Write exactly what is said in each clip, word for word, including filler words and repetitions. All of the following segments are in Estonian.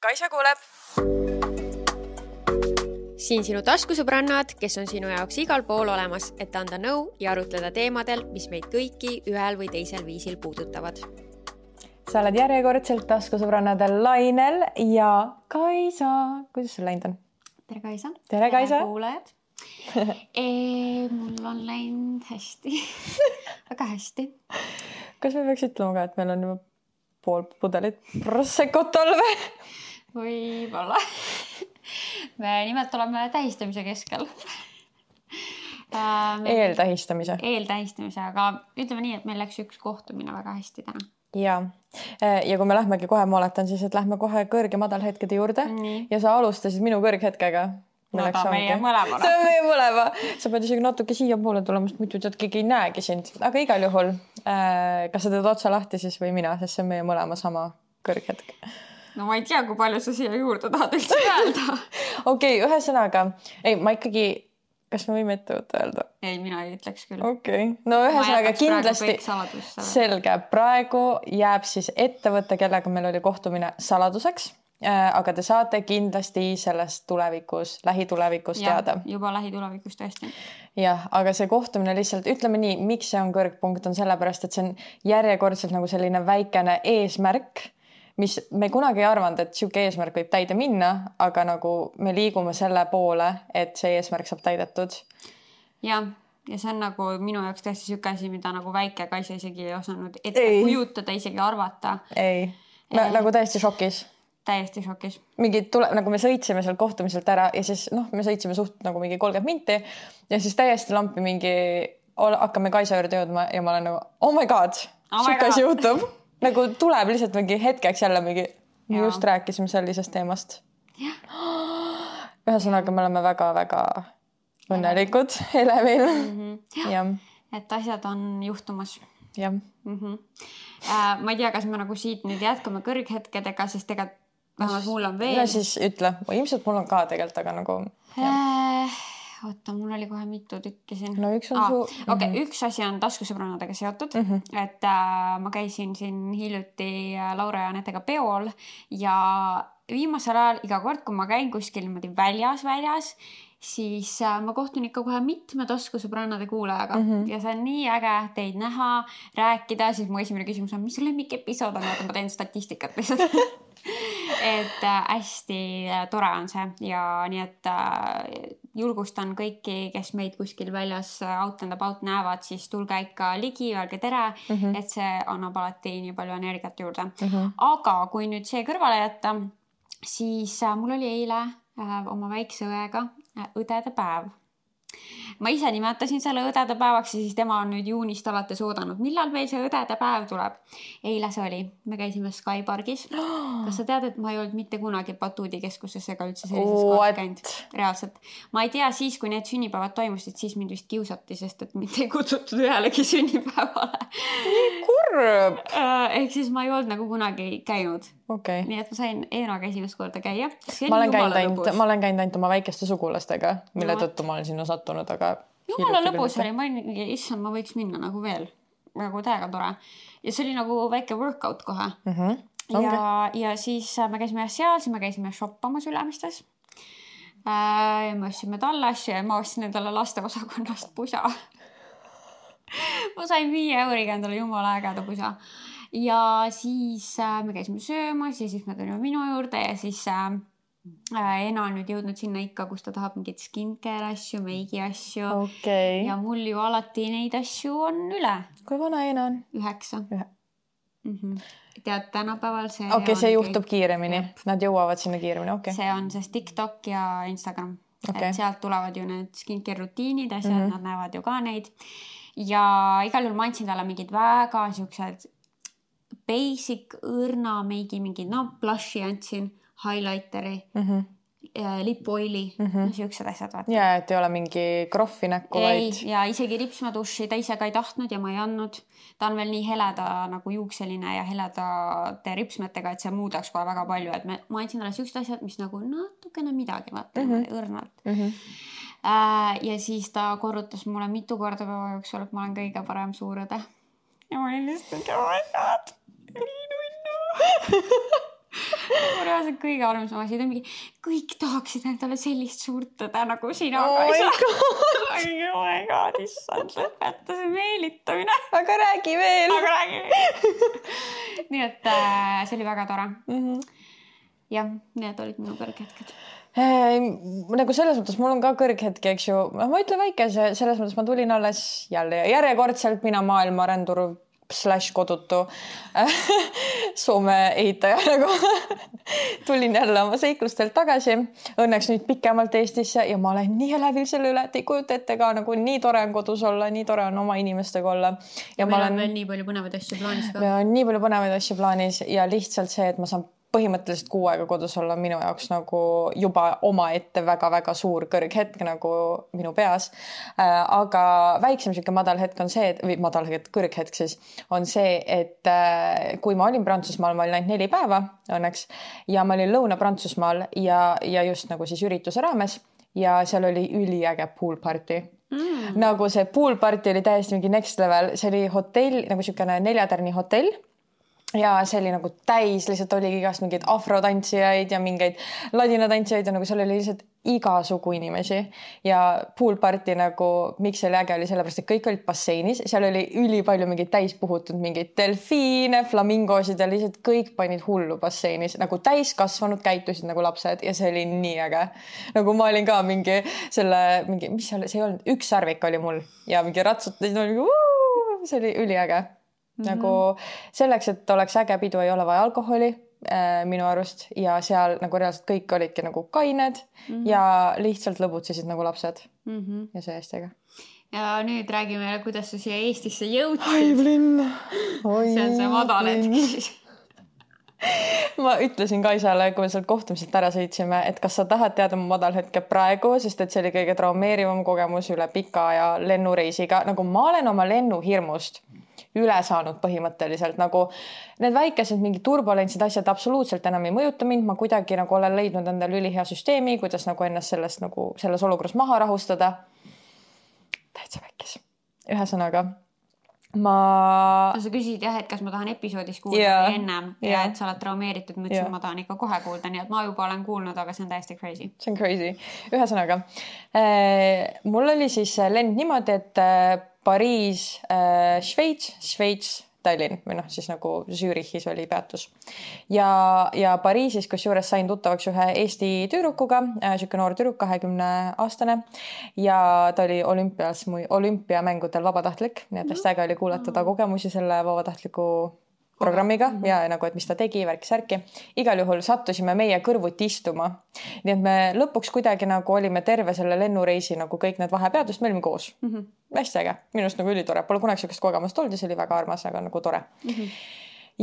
Kaisa kuuleb. Siin sinu taskusõbrannad, kes on sinu jaoks igal pool olemas, et anda nõu ja arutleda teemadel, mis meid kõiki ühel või teisel viisil puudutavad. Sa oled järjekordselt taskusõbrannadel Lainel ja Kaisa. Kuidas sul läinud on? Tere Kaisa. Tere Kaisa. Tere kuulajad. e, mul on läinud hästi. Väga hästi. Kas me peaks ütlema ka, et meil on juba pool pudelit Prosecco't all või? Võib-olla. Me nimelt oleme tähistamise keskel. Eeltähistamise. Eeltähistamise, aga ütleme nii, et meil läks üks kohtumine väga hästi täna. Ja, ja kui me lähmegi kohe, ma oletan siis, et lähme kohe kõrg- ja madalhetkede juurde. Nii. Ja sa alustasid minu kõrghetkega. No ta meie mõlemana. See on meie mõlema. Sa pead isegi natuke siia poole tulema, sest muidu tead, keegi ei näegi sind. Aga igal juhul, kas sa teed otsa lahti siis või mina, sest see on meie mõlema sama kõrghetk. No ma ei tea, kui palju sa siia juurde tahad üldse öelda. Okei, okay, ühesõnaga, ei, ma ikkagi, kas me võime ette võtta öelda? Ei, mina ei ütleks küll. Okei, okay. No ühesõnaga kindlasti selge. Praegu jääb siis ettevõtte, kellega meil oli kohtumine saladuseks. Aga te saate kindlasti sellest tulevikus, lähitulevikus ja, teada. Juba lähitulevikus tõesti. Jah, aga see kohtumine lihtsalt, ütleme nii, miks see on kõrgpunkt, on sellepärast, et see on järjekordselt nagu selline väikene eesmärk, mis me kunagi ei arvanud, et siuke eesmärk võib täide minna, aga nagu me liigume selle poole, et see eesmärk saab täidetud. Ja, ja see on nagu minu jaoks tõesti siuke asi, mida nagu väike Kaisa isegi ei osanud ette ei. kujutada, isegi arvata. Ei, no, nagu täiesti šokis. Täiesti šokis. Mingi tule, nagu me sõitsime seal kohtumiselt ära ja siis noh, me sõitsime suht nagu mingi kolmkümmend minti ja siis täiesti lampi mingi, hakkame Kaisa juurde jõudma ja ma olen nagu, oh my god, oh siuke asi juhtub. Nagu tuleb lihtsalt mingi hetkeks jälle mingi, me just rääkisime sellisest teemast. Ühesõnaga, me oleme väga-väga õnnelikud elevil. Mm-hmm. Ja. Et asjad on juhtumas. Ja. Mm-hmm. Äh, ma ei tea, kas me nagu siit nüüd jätkame kõrghetkedega, sest ega vähemalt mul on veel. Ja siis ütle, ilmselt mul on ka tegelikult, aga nagu... Äh, oota, mul oli kohe mitu tükki siin. No üks on ah, su... Okei, okay, mm-hmm. üks asi on taskusõbrannadega seotud, mm-hmm. et äh, ma käisin siin hiljuti Laura ja Anetega peol ja viimasel ajal iga kord, kui ma käin kuskil niimoodi väljas, väljas, siis äh, ma kohtun ikka kohe mitme taskusõbrannade kuulajaga mm-hmm. ja see on nii äge teid näha, rääkida, siis mu esimene küsimus on, mis lemmik episood on, et ma teen statistikat lihtsalt. et äh, hästi äh, tore on see ja nii, et äh, julgustan kõiki, kes meid kuskil väljas out and about näevad, siis tulge ikka ligi, öelge tere, mm-hmm. et see annab alati nii palju energiat juurde. Mm-hmm. Aga kui nüüd see kõrvale jätta, siis äh, mul oli eile äh, oma väikse õega äh, õdede päev. Ma ise nimetasin selle õdede päevaks ja siis tema on nüüd juunist alates oodanud. Millal meil see õdede päev tuleb? Eile see oli. Me käisime Sky Pargis. Kas sa tead, et ma ei olnud mitte kunagi Batuudi keskuses ega üldse sellises kohas käinud? Reaalselt. Ma ei tea, siis kui need sünnipäevad toimusid, siis mind vist kiusati, sest et mind ei kutsutud ühelegi sünnipäevale. Nii kurb! Ehk siis ma ei olnud nagu kunagi käinud. Okay. Nii et ma sain Eenaga esimest korda käia. Ma olen, ainult, ma olen käinud ainult oma väikeste sugulastega, mille no. tõttu ma olen sinna sattunud, aga... Jumala lõbus oli, ma olin, issand, ma võiks minna nagu veel. Nagu täiega tore. Ja see oli nagu väike workout kohe. Mm-hmm. Okay. Ja, ja siis me käisime seal, siis me käisime shoppamas Ülemistes. Äh, me ostsime talle asju ja ma ostsin endale laste osakonnast pusa. ma sain viie euriga endale jumala ägeda pusa. Ja siis äh, me käisime söömas ja siis me tulime minu juurde ja siis äh, Ena on nüüd jõudnud sinna ikka, kus ta tahab mingid skincare asju, meigi asju. Okay. Ja mul ju alati neid asju on üle. Kui vana Ena on? Üheksa. Ühe. Mm-hmm. Tead, tänapäeval see... Okei, okay, see juhtub kõik... kiiremini. Jep. Nad jõuavad sinna kiiremini, okei. Okay. See on see TikTok ja Instagram. Okay. Et sealt tulevad ju need skincare rutiinid ja seal mm-hmm. nad näevad ju ka neid. Ja igal juhul ma andsin talle mingid väga siuksed basic õrna meigi mingid, no blushi andsin, highlighteri, mm-hmm. lipoili, mm-hmm. no siuksed asjad. Vaata. Ja, et ei ole mingi kroffi näkku, ei, vaid... ja isegi ripsmaduši ta ise ka ei tahtnud ja ma ei andnud. Ta on veel nii heleda nagu juukseline ja heledate ripsmetega, et see muudaks kohe väga palju. Et me, ma andsin talle siuksed asjad, mis nagu natukene midagi, vaata, mm-hmm. õrnalt. Mm-hmm. Äh, ja siis ta korrutas mulle mitu korda päeva jooksul, et ma olen kõige parem suurõde. Ja ma olin lihtsalt, oh my god, nii nunnu. reaalselt kõige halvem asi, ta mingi, kõik tahaksid endale sellist suurt tõde nagu sina. Oh my god. Oh my god, issand, lõpeta see meelitamine. Aga räägi veel. Aga räägi veel. Nii et äh, see oli väga tore. Mm-hmm. Jah, need olid minu kõrghetked. Nagu selles mõttes mul on ka kõrghetki, eks ju. Ma ütlen väikese, selles mõttes ma tulin alles jälle järjekordselt mina maailma rändur slash kodutu Soome ehitaja nagu tulin jälle oma seiklustelt tagasi. Õnneks nüüd pikemalt Eestisse ja ma olen nii elevil selle üle, et ei kujuta ette ka nagu nii tore on kodus olla, nii tore on oma inimestega olla. Ja, ja meil olen... on veel nii palju põnevaid asju plaanis ka. Meil on nii palju põnevaid asju plaanis ja lihtsalt see, et ma saan põhimõtteliselt kuu aega kodus olla minu jaoks nagu juba oma ette väga-väga suur kõrghetk nagu minu peas. Aga väiksem siuke madal hetk on see, et, või madal hetk, kõrghetk siis, on see, et kui ma olin Prantsusmaal, ma olin ainult neli päeva õnneks ja ma olin Lõuna-Prantsusmaal ja, ja just nagu siis ürituse raames ja seal oli üliäge pool party. Mm. Nagu see pool party oli täiesti mingi next level, see oli hotell, nagu siukene neljatärni hotell. Ja see oli nagu täis, lihtsalt oli igast mingeid afrotantsijaid ja mingeid ladinatantsijaid ja nagu seal oli lihtsalt igasugu inimesi ja pool party nagu, miks see oli äge oli sellepärast, et kõik olid basseinis, seal oli üli palju mingeid täis puhutud mingeid delfiine, flamingosid ja lihtsalt kõik panid hullu basseinis, nagu täis kasvanud käitusid nagu lapsed ja see oli nii äge. Nagu ma olin ka mingi selle, mingi, mis seal, see ei olnud, üks sarvik oli mul ja mingi ratsutasid, see oli üliäge. Mm-hmm. Nagu selleks, et oleks äge pidu, ei ole vaja alkoholi äh, minu arust ja seal nagu reaalselt kõik olidki nagu kained mm-hmm. ja lihtsalt lõbutsesid nagu lapsed mm-hmm. ja see hästi äge. Ja nüüd räägime, kuidas sa siia Eestisse jõudsid. Aiblinn. See on see madal hetk siis. Ma ütlesin Kaisale, kui me sealt kohtumiselt ära sõitsime, et kas sa tahad teada mu madal hetke praegu, sest et see oli kõige traumeerivam kogemus üle pika aja lennureisiga. Nagu ma olen oma lennuhirmust üle saanud põhimõtteliselt, nagu need väikesed mingi turbulentsid asjad absoluutselt enam ei mõjuta mind, ma kuidagi nagu olen leidnud endale ülihea süsteemi, kuidas nagu ennast sellest nagu selles olukorras maha rahustada. Täitsa väikes. Ühesõnaga, ma... No, sa küsisid jah, et kas ma tahan episoodis kuulda yeah. ennem ja yeah. et sa oled traumeeritud, ma ütlesin, yeah. ma tahan ikka kohe kuulda, nii et ma juba olen kuulnud, aga see on täiesti crazy. See on crazy. Ühesõnaga, äh, mul oli siis lend niimoodi, et äh, Pariis, äh, Šveits, Šveits, Tallinn või noh, siis nagu Zürichis oli peatus. Ja, ja Pariisis, kus juures sain tuttavaks ühe Eesti tüürukuga, äh, siuke noor tüüruk, kahekümne aastane ja ta oli olümpias, olümpiamängudel vabatahtlik, nii et hästi äge oli kuulata ta kogemusi selle vabatahtliku programmiga mm-hmm. ja nagu, et mis ta tegi, värki särki. Igal juhul sattusime meie kõrvuti istuma. Nii et me lõpuks kuidagi nagu olime terve selle lennureisi nagu kõik need vahepeadust, me olime koos. Mm-hmm. Hästi äge. Minust nagu ülitore. Pole kunagi siukest kogemust olnud ja see oli väga armas, aga nagu tore. Mm-hmm.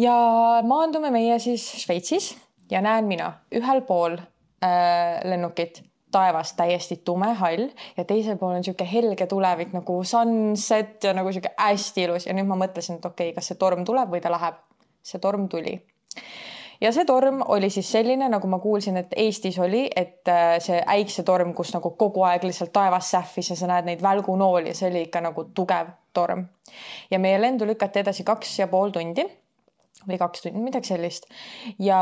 Ja maandume meie siis Šveitsis ja näen mina ühel pool äh, lennukit taevas täiesti tume hall ja teisel pool on siuke helge tulevik nagu sunset ja nagu siuke hästi ilus ja nüüd ma mõtlesin, et okei, okay, kas see torm tuleb või ta läheb. See torm tuli. Ja see torm oli siis selline, nagu ma kuulsin, et Eestis oli, et see äiksetorm, kus nagu kogu aeg lihtsalt taevas sähvis ja sa näed neid välgunooli ja see oli ikka nagu tugev torm. Ja meie lendu lükati edasi kaks ja pool tundi või kaks tundi, midagi sellist. Ja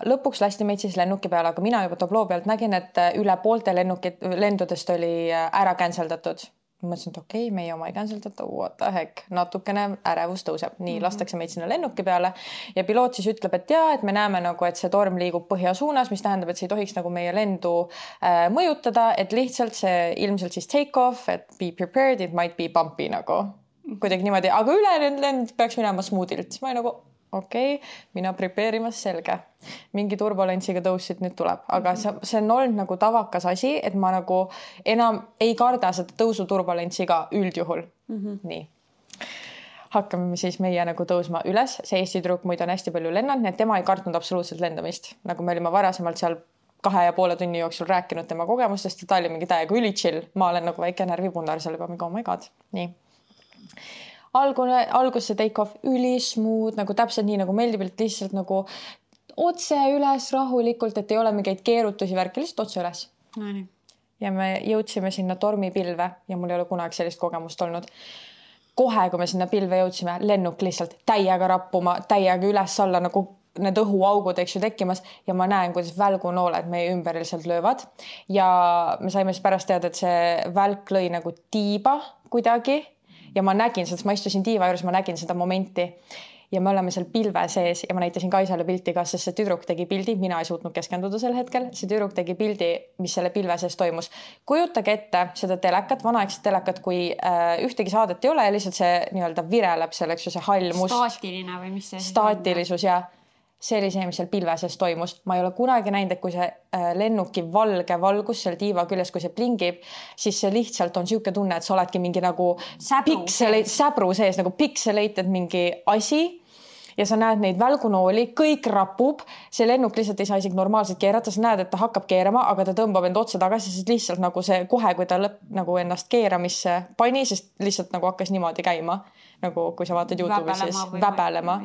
lõpuks lasti meid siis lennuki peale, aga mina juba tabloo pealt nägin, et üle poolte lennukid, lendudest oli ära canceldatud. Ma mõtlesin, et okei, okay, meie oma ei canceldata, what the heck, natukene ärevus tõuseb. Nii, mm-hmm. lastakse meid sinna lennuki peale ja piloot siis ütleb, et jaa, et me näeme nagu, et see torm liigub põhja suunas, mis tähendab, et see ei tohiks nagu meie lendu äh, mõjutada, et lihtsalt see ilmselt siis take off, et be prepared, it might be bumpy nagu. Kuidagi niimoodi, aga üle lend peaks minema smoothilt. Ma ei nagu okei, okay, mina prepareerimas selge. Mingi turbulentsiga tõusid nüüd tuleb. Aga see, see on olnud nagu tavakas asi, et ma nagu enam ei karda seda tõusu turbulentsiga üldjuhul. Mm-hmm. Nii. Hakkame siis meie nagu tõusma üles. See Eesti tüdruk muid on hästi palju lennanud, nii et tema ei kartnud absoluutselt lendamist. Nagu me olime varasemalt seal kahe ja poole tunni jooksul rääkinud tema kogemustest ja ta oli mingi täiega üli chill. Ma olen nagu väike närvipundar seal juba mingi, oh my god. Nii. Algune, algus see take off üli smooth, nagu täpselt nii nagu meeldib, et lihtsalt nagu otse üles rahulikult, et ei ole mingeid keerutusi värki, lihtsalt otse üles. No, nii. Ja me jõudsime sinna tormipilve ja mul ei ole kunagi sellist kogemust olnud. Kohe, kui me sinna pilve jõudsime, lennuk lihtsalt täiega rappuma, täiega üles alla nagu need õhuaugud, eks ju, tekkimas ja ma näen, kuidas välgunooled meie ümber lihtsalt löövad ja me saime siis pärast teada, et see välk lõi nagu tiiba kuidagi ja ma nägin seda, ma istusin tiiva juures, ma nägin seda momenti ja me oleme seal pilve sees ja ma näitasin Kaisale pilti ka, sest see tüdruk tegi pildi, mina ei suutnud keskenduda sel hetkel, see tüdruk tegi pildi, mis selle pilve sees toimus. Kujutage ette seda telekat, vanaaegset telekat, kui äh, ühtegi saadet ei ole ja lihtsalt see nii-öelda vireleb selleks ju see hall must. Staatiline või mis see? Staatilisus ja see oli see, mis seal pilve sees toimus. Ma ei ole kunagi näinud, et kui see äh, lennuki valge valgus seal tiiva küljes, kui see plingib, siis see lihtsalt on siuke tunne, et sa oledki mingi nagu säbru pikseleid, säbru sees, nagu pikseleid, mingi asi ja sa näed neid välgunooli, kõik rapub, see lennuk lihtsalt ei saa isegi normaalselt keerata, sa näed, et ta hakkab keerama, aga ta tõmbab end otse tagasi, sest lihtsalt nagu see kohe, kui ta lõpp nagu ennast keeramisse pani, sest lihtsalt nagu hakkas niimoodi käima, nagu kui sa vaatad YouTube'is, siis väbelema.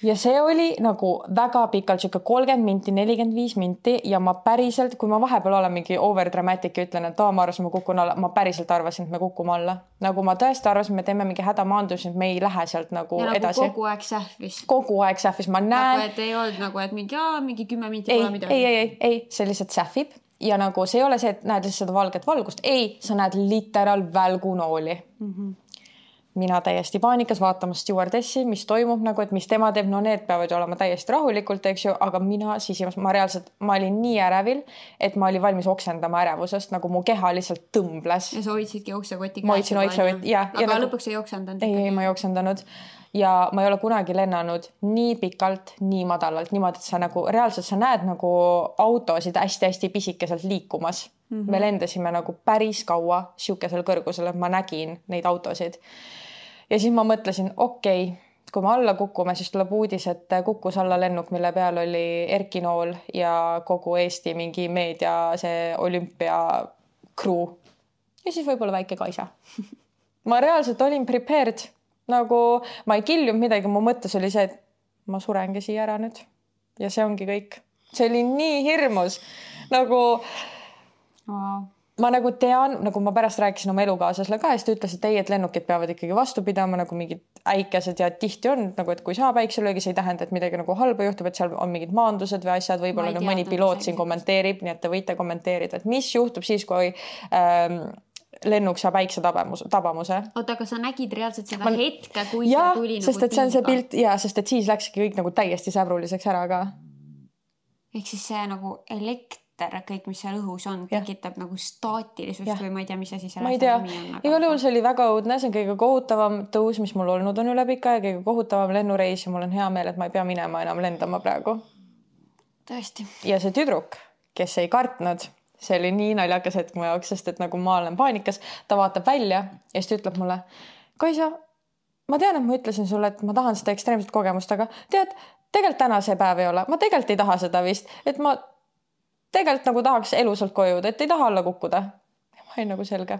Ja see oli nagu väga pikalt, siuke kolmkümmend minti, nelikümmend viis minti ja ma päriselt, kui ma vahepeal olen mingi over dramatic ja ütlen, et aa, ma arvasin, ma kukun alla, ma päriselt arvasin, et me kukume alla. Nagu ma tõesti arvasin, me teeme mingi hädamaandus, et me ei lähe sealt nagu ja edasi. Ja nagu kogu aeg sähvis. Kogu aeg sähvis, ma näen. Nagu, et ei olnud nagu, et mingi, aa, mingi kümme minti ei, pole midagi. Ei, ei, ei, ei, see lihtsalt sähvib ja nagu see ei ole see, et näed lihtsalt seda valget valgust. Ei, sa näed literal välgunooli. Mhm. Mina täiesti paanikas vaatama stewardessi, mis toimub nagu, et mis tema teeb, no need peavad ju olema täiesti rahulikult, eks ju, aga mina sisimas, ma reaalselt, ma olin nii ärevil, et ma olin valmis oksendama ärevusest, nagu mu keha lihtsalt tõmbles. Ja sa hoidsidki oksekoti käes. Ma hoidsin oksekoti, jah. Aga nagu, lõpuks ei oksendanud. Ei, ei, ma ei oksendanud. Ja ma ei ole kunagi lennanud nii pikalt, nii madalalt, niimoodi, et sa nagu reaalselt sa näed nagu autosid hästi-hästi pisikeselt liikumas. Mm-hmm. Me lendasime nagu päris kaua siukesel kõrgusel, et ma nägin neid autosid. Ja siis ma mõtlesin, okei, okay, kui me alla kukume, siis tuleb uudis, et kukkus alla lennuk, mille peal oli Erki Nool ja kogu Eesti mingi meedia, see olümpia crew. Ja siis võib-olla väike Kaisa. Ma reaalselt olin prepared. Nagu ma ei kiljunud midagi, mu mõttes oli see, et ma surengi siia ära nüüd. Ja see ongi kõik. See oli nii hirmus. Nagu... Wow. Ma nagu tean, nagu ma pärast rääkisin oma elukaaslasele ka, siis ta ütles, et ei, et lennukid peavad ikkagi vastu pidama, nagu mingid äikesed ja tihti on, nagu, et kui saab äikselöögi, see ei tähenda, et midagi nagu halba juhtub, et seal on mingid maandused või asjad, võib-olla nüüd mõni piloot siin kommenteerib, nii et te võite kommenteerida, et mis juhtub siis, kui ähm, lennuk saab äikse tabamuse. tabamuse. Oota, aga sa nägid reaalselt seda ma... hetke, kui ja, see tuli sest, nagu et see on see pilt, ja, sest et siis läkski kõik nagu täiesti säbruliseks ära ka. Ehk siis see nagu elekt kõik, mis seal õhus on, tekitab ja. Nagu staatilisust ja. Või ma ei tea, mis see siis ma ei tea, igal juhul see oli väga õudne, see on kõige kohutavam tõus, mis mul olnud on üle pika ja kõige kohutavam lennureis ja mul on hea meel, et ma ei pea minema enam lendama praegu. Tõesti. Ja see tüdruk, kes ei kartnud, see oli nii naljakas hetk mu jaoks, sest et nagu ma olen paanikas, ta vaatab välja ja siis ta ütleb mulle, Kaisa, ma tean, et ma ütlesin sulle, et ma tahan seda ekstreemset kogemust, aga tead, tegelikult täna see päev ei ole, ma tegelikult ei taha seda vist, et ma tegelikult nagu tahaks elusalt koju, et ei taha alla kukkuda. Ma olin nagu selge.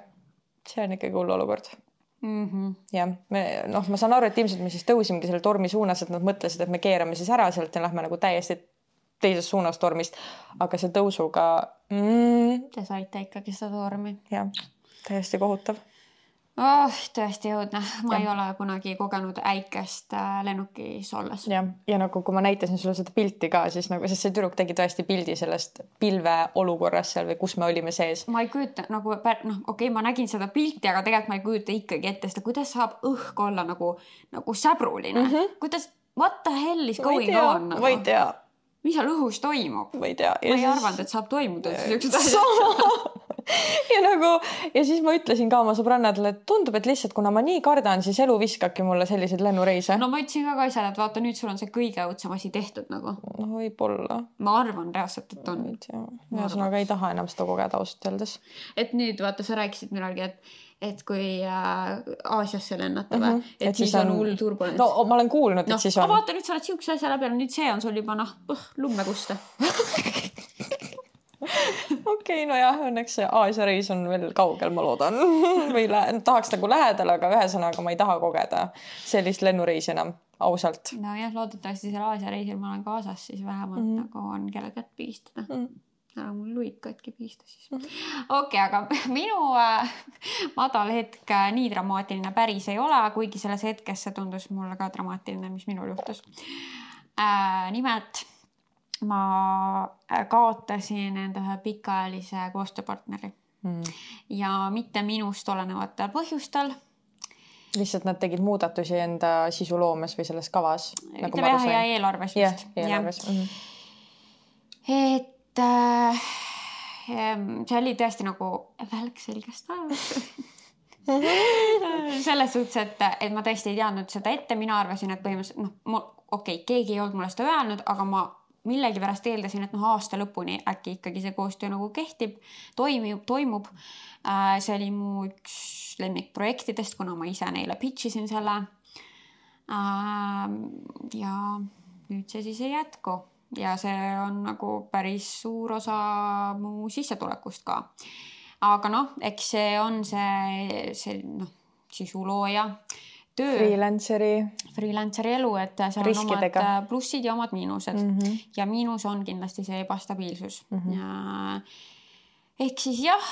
See on ikkagi hull olukord. Mm-hmm. Ja me, noh, ma saan aru, et ilmselt me siis tõusimegi selle tormi suunas, et nad mõtlesid, et me keerame siis ära sealt ja lähme nagu täiesti teises suunas tormist. Aga see tõusuga... Mm, Te saite ikkagi seda tormi. Ja, täiesti kohutav. Oh, tõesti õudne. Ma ja. Ei ole kunagi kogenud äikest lennukis olles. Ja, ja nagu kui ma näitasin sulle seda pilti ka, siis nagu, sest see tüdruk tegi tõesti pildi sellest pilve olukorras seal või kus me olime sees. Ma ei kujuta, nagu, noh, okei, okay, ma nägin seda pilti, aga tegelikult ma ei kujuta ikkagi ette seda, kuidas saab õhk olla nagu, nagu säbruline. Mm-hmm. Kuidas, what the hell is going tea, on? Nagu? Või tea. Mis seal õhus toimub? Või tea. Ma ei siis... arvanud, et saab toimuda. Sama. Ja nagu, ja siis ma ütlesin ka oma sõbrannadele, et tundub, et lihtsalt kuna ma nii kardan, siis elu viskabki mulle selliseid lennureise. No ma ütlesin ka Kaisale, et vaata, nüüd sul on see kõige õudsem asi tehtud nagu. No võib-olla. Ma arvan reaalselt, et on. Ja sõnaga ei taha enam seda kogeda ausalt öeldes. Et nüüd, vaata, sa rääkisid millalgi, et et kui äh, Aasiasse lennata või, mm-hmm. et, et siis on hull turbulents. No ma olen kuulnud, no, et siis on. Aga vaata, nüüd sa oled siukse asja läbi, nüüd see on sul juba noh, lummeguste. Okei, okay, no jah, õnneks see Aasia reis on veel kaugel, ma loodan. Või lä- tahaks nagu lähedal, aga ühesõnaga ma ei taha kogeda sellist lennureisi enam, ausalt. No jah, loodetavasti seal Aasia reisil ma olen kaasas, siis vähemalt mm. nagu on kelle kätt pigistada. Mm. Ära mul luid katki pihista siis. Mm. Okei, okay, aga minu äh, madal hetk äh, nii dramaatiline päris ei ole, kuigi selles hetkes see tundus mulle ka dramaatiline, mis minul juhtus. äh, nimelt ma kaotasin enda ühe pikaajalise koostööpartneri mm. ja mitte minust olenevatel põhjustel. Lihtsalt nad tegid muudatusi enda sisuloomes või selles kavas? Nagu ütleme jah, ja eelarves vist. Yeah, eelarves. Ja. Mm-hmm. Et äh, see oli tõesti nagu välk selgest ajast. Selles suhtes, et, et ma tõesti ei teadnud seda ette, mina arvasin, et põhimõtteliselt, noh, okei, okay, keegi ei olnud mulle seda öelnud, aga ma millegi pärast eeldasin, et noh, aasta lõpuni äkki ikkagi see koostöö nagu kehtib, toimub, toimub. See oli mu üks lemmikprojektidest, kuna ma ise neile pitchisin selle. Ja nüüd see siis ei jätku. Ja see on nagu päris suur osa mu sissetulekust ka. Aga noh, eks see on see, see noh, sisulooja töö. Freelanceri. Freelanceri elu, et seal riskidega. On omad plussid ja omad miinused. Mm -hmm. Ja miinus on kindlasti see ebastabiilsus. Mm -hmm. ja, ehk siis jah,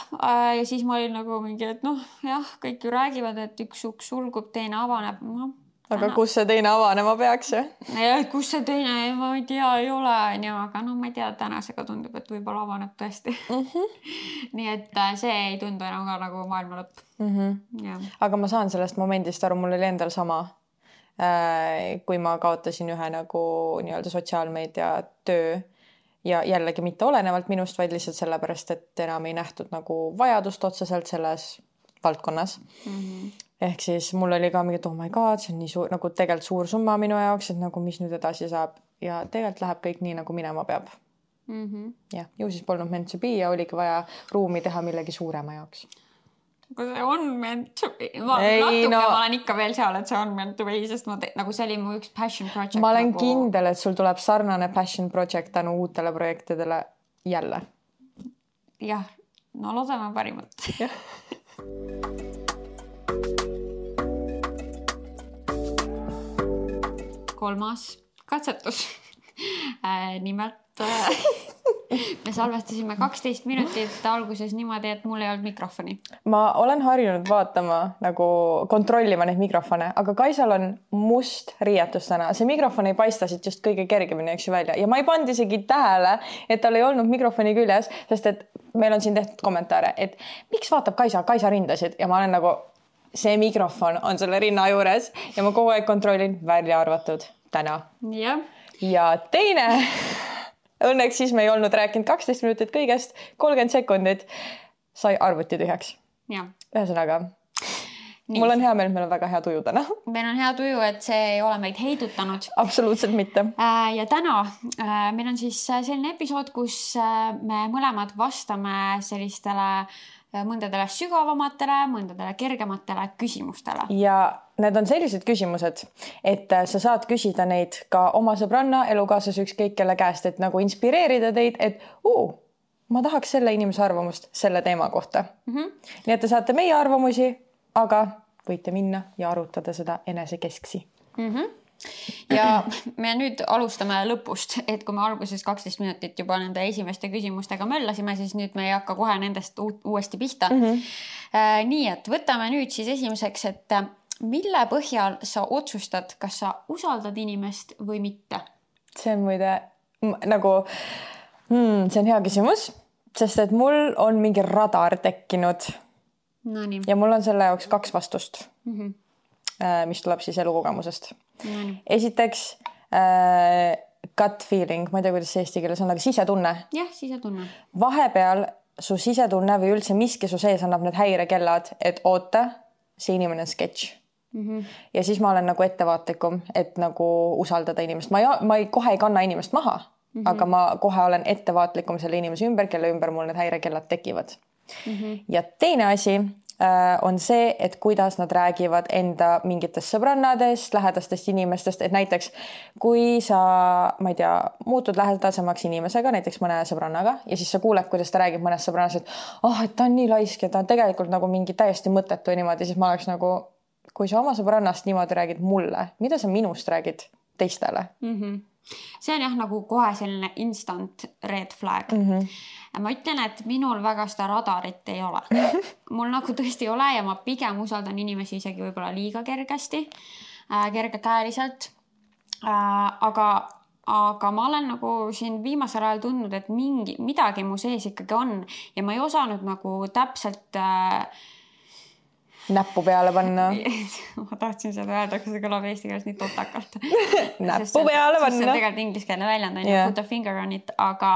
ja siis ma olin nagu mingi, et noh, jah, kõik ju räägivad, et üks uks sulgub, teine avaneb. No, aga täna... kus see teine avanema peaks? Ja, kus see teine, ma ei tea, ei ole. Aga no ma ei tea, tänasega tundub, et võib-olla avaneb tõesti. Mm -hmm. Nii et see ei tundu enam ka nagu maailma lõpp. Mm -hmm. Ja. Aga ma saan sellest momendist aru, mul oli endal sama. Kui ma kaotasin ühe nagu nii-öelda sotsiaalmeedia töö ja jällegi mitte olenevalt minust, vaid lihtsalt sellepärast, et enam ei nähtud nagu vajadust otseselt selles valdkonnas. Mm -hmm. Ehk siis mul oli ka mingi, et oh my god, see on nii suur, nagu tegelikult suur summa minu jaoks, et nagu mis nüüd edasi saab ja tegelikult läheb kõik nii, nagu minema peab. Mm -hmm. Ja, ju siis polnud meant to be ja oligi vaja ruumi teha millegi suurema jaoks. Aga see on meant to be. Ma, natuke no... ma olen ikka veel seal, et see on meant to be, sest ma te... nagu see oli mu üks passion project. Ma olen nagu... kindel, et sul tuleb sarnane passion project tänu uutele projektidele jälle. Jah, no loodame parimat. Jah. Kolmas katsetus. Äh, nimelt äh, me salvestasime kaksteist minutit alguses niimoodi, et mul ei olnud mikrofoni. Ma olen harjunud vaatama, nagu kontrollima neid mikrofone, aga Kaisal on must riietus täna. See mikrofon ei paista siit just kõige kergemini, eks ju välja. Ja ma ei pandi isegi tähele, et tal ei olnud mikrofoni küljes, sest et meil on siin tehtud kommentaare, et miks vaatab Kaisa, Kaisa rindasid ja ma olen nagu... See mikrofon on selle rinna juures ja ma kogu aeg kontrollin välja arvatud täna. Ja, ja teine, õnneks siis me ei olnud rääkinud kaksteist minutit kõigest, kolmkümmend sekundit sai arvuti tühjaks. Ja. Ühesõnaga, nii. Mul on hea meel, et meil on väga hea tuju täna. Meil on hea tuju, et see ei ole meid heidutanud. Absoluutselt mitte. Ja täna meil on siis selline episood, kus me mõlemad vastame sellistele mõndadele sügavamatele, mõndadele kergematele küsimustele. Ja need on sellised küsimused, et sa saad küsida neid ka oma sõbranna, elukaaslas ükskõik kelle käest, et nagu inspireerida teid, et uu, ma tahaks selle inimese arvamust selle teema kohta. Mm -hmm. Nii et te saate meie arvamusi, aga võite minna ja arutada seda enesekesksi. Mm -hmm. Ja me nüüd alustame lõpust, et kui me alguses kaksteist minutit juba nende esimeste küsimustega möllasime, siis nüüd me ei hakka kohe nendest uuesti pihta. Mm -hmm. Nii, et võtame nüüd siis esimeseks, et mille põhjal sa otsustad, kas sa usaldad inimest või mitte? See on muide nagu, hmm, see on hea küsimus, sest et mul on mingi radar tekkinud. No nii. Ja mul on selle jaoks kaks vastust, mm -hmm. mis tuleb siis elukogemusest. No, esiteks äh, gut feeling, ma ei tea, kuidas see eesti keeles on, aga sisetunne. Jah, sisetunne. Vahepeal su sisetunne või üldse miski su sees annab need häirekellad, et oota, see inimene on sketš. Mm -hmm. Ja siis ma olen nagu ettevaatlikum, et nagu usaldada inimest. Ma ei, ma ei, kohe ei kanna inimest maha, mm -hmm. aga ma kohe olen ettevaatlikum selle inimese ümber, kelle ümber mul need häirekellad tekivad. Mm -hmm. Ja teine asi on see, et kuidas nad räägivad enda mingitest sõbrannadest, lähedastest inimestest, et näiteks kui sa, ma ei tea, muutud lähedasemaks inimesega, näiteks mõne sõbrannaga ja siis sa kuuled, kuidas ta räägib mõnest sõbrannast, et oh, et ta on nii laisk ja ta on tegelikult nagu mingi täiesti mõttetu ja niimoodi, siis ma oleks nagu, kui sa oma sõbrannast niimoodi räägid mulle, mida sa minust räägid teistele? Mm -hmm. See on jah nagu kohe selline instant red flag. Mm -hmm. Ma ütlen, et minul väga seda radarit ei ole. Mul nagu tõesti ei ole ja ma pigem usaldan inimesi isegi võib-olla liiga kergesti, äh, kergekäeliselt. Äh, aga aga ma olen nagu siin viimasel ajal tundnud, et mingi, midagi mu sees ikkagi on ja ma ei osanud nagu täpselt äh, näppu peale panna. ma tahtsin seda öelda, aga see kõlab eesti keeles nii totakalt. näppu peale panna. See on tegelikult ingliskeelne väljend, on yeah. Put a finger on it, aga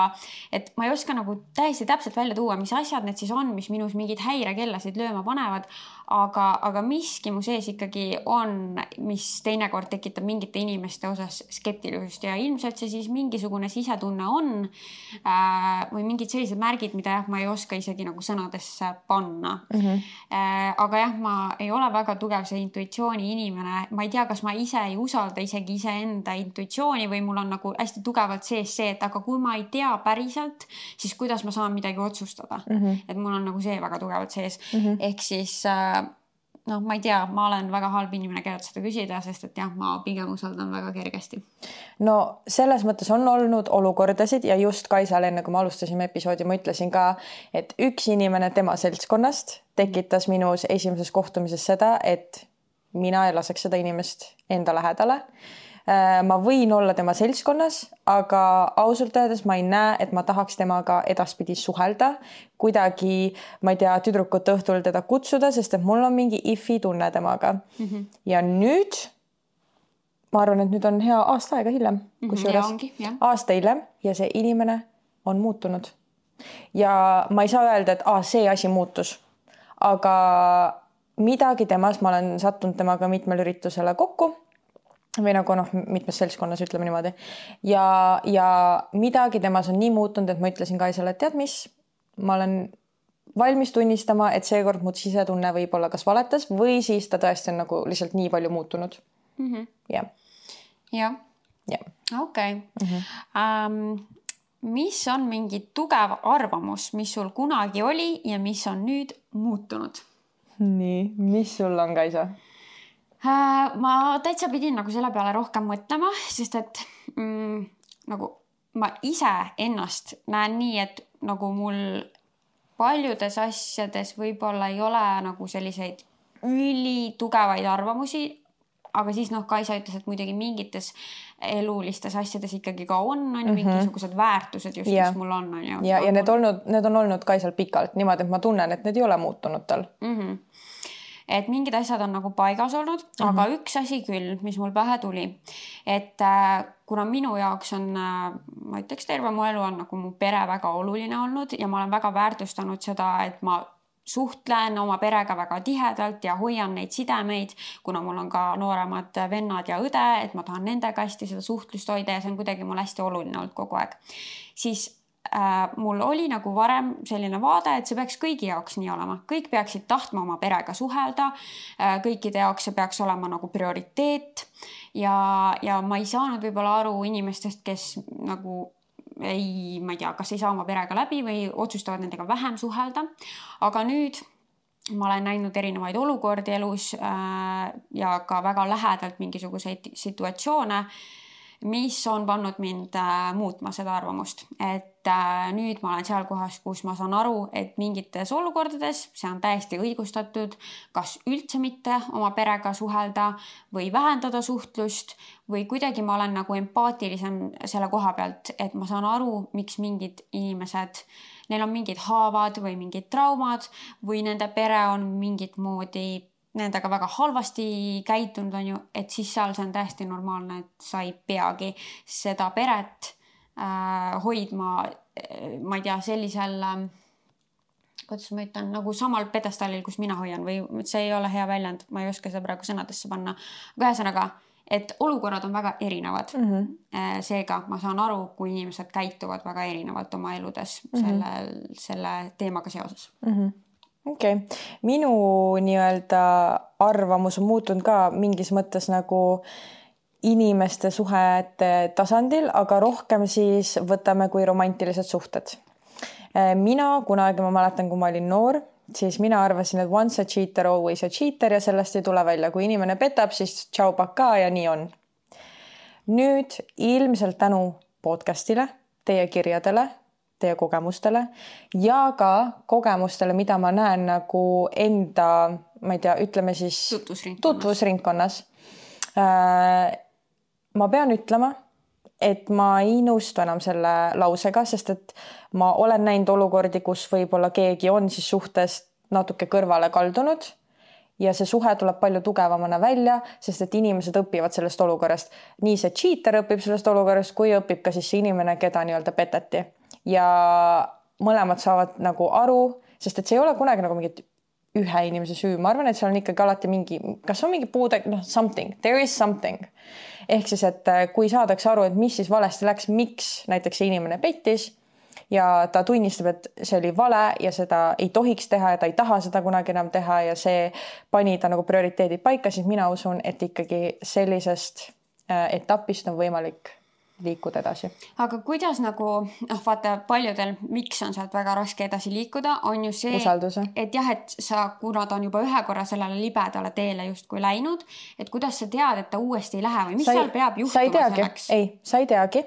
et ma ei oska nagu täiesti täpselt välja tuua, mis asjad need siis on, mis minus mingid häirekellasid lööma panevad, aga, aga miski mu sees ikkagi on, mis teinekord tekitab mingite inimeste osas skeptilisust ja ilmselt see siis mingisugune sisetunne on äh, või mingid sellised märgid, mida jah, ma ei oska isegi nagu sõnadesse panna. Mm-hmm. Äh, aga jah, ma ei ole väga tugev see intuitsiooni inimene. Ma ei tea, kas ma ise ei usalda isegi iseenda intuitsiooni või mul on nagu hästi tugevalt sees see, et aga kui ma ei tea päriselt, siis kuidas ma saan midagi otsustada. Mm-hmm. Et mul on nagu see väga tugevalt sees. Mm-hmm. Ehk siis noh, ma ei tea, ma olen väga halb inimene, kellelt seda küsida, sest et jah, ma pigem usaldan väga kergesti. No selles mõttes on olnud olukordasid ja just Kaisal enne, kui me alustasime episoodi, ma ütlesin ka, et üks inimene tema seltskonnast tekitas minus esimeses kohtumises seda, et mina ei laseks seda inimest enda lähedale. Ma võin olla tema seltskonnas, aga ausalt öeldes ma ei näe, et ma tahaks temaga edaspidi suhelda, kuidagi, ma ei tea, tüdrukut õhtul teda kutsuda, sest et mul on mingi ifi tunne temaga. Mm-hmm. Ja nüüd, ma arvan, et nüüd on hea aasta aega hiljem, kus juures ongi, aasta hiljem ja see inimene on muutunud. Ja ma ei saa öelda, et ah, see asi muutus, aga midagi temas, ma olen sattunud temaga mitmel üritusele kokku, või nagu noh, mitmes seltskonnas ütleme niimoodi. Ja, ja midagi temas on nii muutunud, et ma ütlesin Kaisale, et tead mis, ma olen valmis tunnistama, et seekord mu sisetunne võib olla kas valetas või siis ta tõesti on nagu lihtsalt nii palju muutunud. Mm-hmm. Yeah. Jah. Yeah. Okei. Okay. Mm-hmm. Um, mis on mingi tugev arvamus, mis sul kunagi oli ja mis on nüüd muutunud? Nii, mis sul on, Kaisa? Ma täitsa pidin nagu selle peale rohkem mõtlema, sest et mm, nagu ma ise ennast näen nii, et nagu mul paljudes asjades võib-olla ei ole nagu selliseid ülitugevaid arvamusi, aga siis noh, Kaisa ütles, et muidugi mingites elulistes asjades ikkagi ka on, on mm-hmm. mingisugused väärtused just, yeah. mis mul on. on ju, ja, ja need, olnud, need on olnud Kaisal pikalt niimoodi, et ma tunnen, et need ei ole muutunud tal. Mm-hmm. Et mingid asjad on nagu paigas olnud, mm-hmm. aga üks asi küll, mis mul pähe tuli, et äh, kuna minu jaoks on, äh, ma ütleks, terve mu elu on nagu mu pere väga oluline olnud ja ma olen väga väärtustanud seda, et ma suhtlen oma perega väga tihedalt ja hoian neid sidemeid, kuna mul on ka nooremad vennad ja õde, et ma tahan nendega hästi seda suhtlust hoida ja see on kuidagi mul hästi oluline olnud kogu aeg. Siis Äh, mul oli nagu varem selline vaade, et see peaks kõigi jaoks nii olema. Kõik peaksid tahtma oma perega suhelda, äh, kõikide jaoks see peaks olema nagu prioriteet ja, ja ma ei saanud võib-olla aru inimestest, kes nagu ei, ma ei tea, kas ei saa oma perega läbi või otsustavad nendega vähem suhelda. Aga nüüd ma olen näinud erinevaid olukordi elus äh, ja ka väga lähedalt mingisuguseid situatsioone, mis on pannud mind äh, muutma seda arvamust, et äh, nüüd ma olen seal kohas, kus ma saan aru, et mingites olukordades see on täiesti õigustatud, kas üldse mitte oma perega suhelda või vähendada suhtlust või kuidagi ma olen nagu empaatilisem selle koha pealt, et ma saan aru, miks mingid inimesed, neil on mingid haavad või mingid traumad või nende pere on mingit moodi nendega väga halvasti käitunud on ju, et siis seal see on täiesti normaalne, et sa ei peagi seda peret äh, hoidma, ma ei tea, sellisel, äh, kuidas ma ütlen, nagu samal pedestaalil, kus mina hoian või see ei ole hea väljend, ma ei oska seda praegu sõnadesse panna. Aga ühesõnaga, et olukorrad on väga erinevad. Mm-hmm. Seega ma saan aru, kui inimesed käituvad väga erinevalt oma eludes mm-hmm. selle, selle teemaga seoses. Mm-hmm. Okei, okay. Minu nii-öelda arvamus on muutunud ka mingis mõttes nagu inimeste suhete tasandil, aga rohkem siis võtame kui romantilised suhted. Mina kunagi, ma mäletan, kui ma olin noor, siis mina arvasin, et once a cheater, always a cheater ja sellest ei tule välja. Kui inimene petab, siis tšau paka ja nii on. Nüüd ilmselt tänu podcastile, teie kirjadele, teie kogemustele ja ka kogemustele, mida ma näen nagu enda, ma ei tea, ütleme siis tutvusringkonnas. tutvusringkonnas. Ma pean ütlema, et ma ei nõustu enam selle lausega, sest et ma olen näinud olukordi, kus võib-olla keegi on siis suhtes natuke kõrvale kaldunud ja see suhe tuleb palju tugevamana välja, sest et inimesed õpivad sellest olukorrast. Nii see cheater õpib sellest olukorrast, kui õpib ka siis see inimene, keda nii-öelda peteti. Ja mõlemad saavad nagu aru, sest et see ei ole kunagi nagu mingit ühe inimese süü. Ma arvan, et seal on ikkagi alati mingi, kas on mingi puude, noh, something, there is something. Ehk siis, et kui saadakse aru, et mis siis valesti läks, miks näiteks see inimene pettis ja ta tunnistab, et see oli vale ja seda ei tohiks teha ja ta ei taha seda kunagi enam teha ja see pani ta nagu prioriteedid paika, siis mina usun, et ikkagi sellisest etapist on võimalik liikuda edasi. Aga kuidas nagu, noh vaata paljudel, miks on sealt väga raske edasi liikuda, on ju see, Usalduse. et jah, et sa, kuna ta on juba ühe korra sellele libedale teele just kui läinud, et kuidas sa tead, et ta uuesti ei lähe või mis sa seal peab sa ei juhtuma teagi. selleks? Ei, sa ei teagi.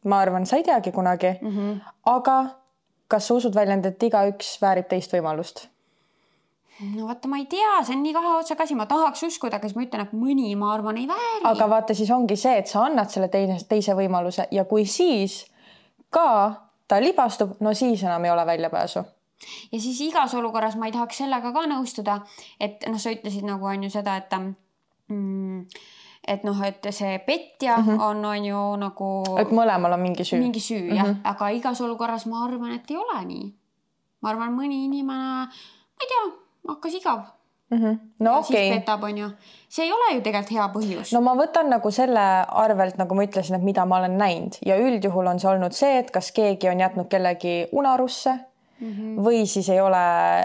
Ma arvan, sa ei teagi kunagi. Mm -hmm. Aga kas sa usud väljend, et igaüks väärib teist võimalust? No vaata, ma ei tea, see on nii kahe otsa kasi, ma tahaks uskuda, aga siis ma ütlen, et mõni, ma arvan, ei vääri. Aga vaata, siis ongi see, et sa annad selle teine, teise võimaluse ja kui siis ka ta libastub, no siis enam ei ole väljapääsu. Ja siis igas olukorras ma ei tahaks sellega ka nõustuda, et noh, sa ütlesid nagu on ju seda, et mm, et noh, et see petja mm -hmm. on, on ju nagu et mõlemal on mingi süü. Mingi süü, jah. Mm -hmm. Aga igas olukorras ma arvan, et ei ole nii. Ma arvan, mõni inimene, ma ei tea, hakkas igav. Mm -hmm. No ja okei. Siis petab, on ju. See ei ole ju tegelikult hea põhjus. No ma võtan nagu selle arvelt, nagu ma ütlesin, et mida ma olen näinud ja üldjuhul on see olnud see, et kas keegi on jätnud kellegi unarusse mm -hmm. või siis ei ole,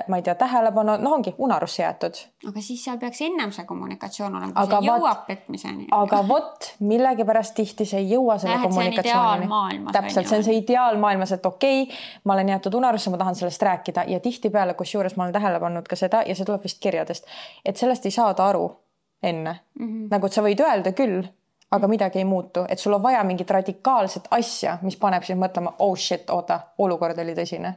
ma ei tea, tähelepanu, noh ongi unarusse jäetud. Aga siis seal peaks ennem see kommunikatsioon olema, aga see jõuab vat, petmiseni. Aga vot, millegipärast tihti see ei jõua selle Lähed, kommunikatsioonini. Täpselt, see on see ideaalmaailmas, et okei, okay, ma olen jäetud unarusse, ma tahan sellest rääkida ja tihtipeale, kus juures ma olen tähele pannud ka seda ja see tuleb vist kirjadest, et sellest ei saada aru enne. Mm -hmm. Nagu et sa võid öelda küll, aga midagi ei muutu, et sul on vaja mingit radikaalset asja, mis paneb siis mõtlema, oh shit, oota, olukord oli tõsine.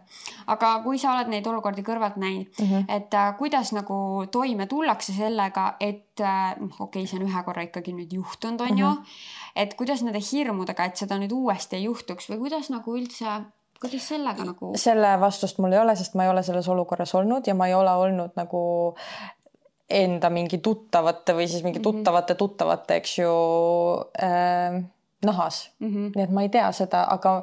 Aga kui sa oled neid olukordi kõrvalt näinud, mm -hmm. et äh, kuidas nagu toime tullakse sellega, et äh, okei, okay, see on ühe korra ikkagi nüüd juhtunud, on mm -hmm. ju, et kuidas nende hirmudega, et seda nüüd uuesti ei juhtuks või kuidas nagu üldse, kuidas sellega nagu? Selle vastust mul ei ole, sest ma ei ole selles olukorras olnud ja ma ei ole olnud nagu enda mingi tuttavate või siis mingi tuttavate tuttavate, eks ju, äh, nahas. Mm -hmm. Nii et ma ei tea seda, aga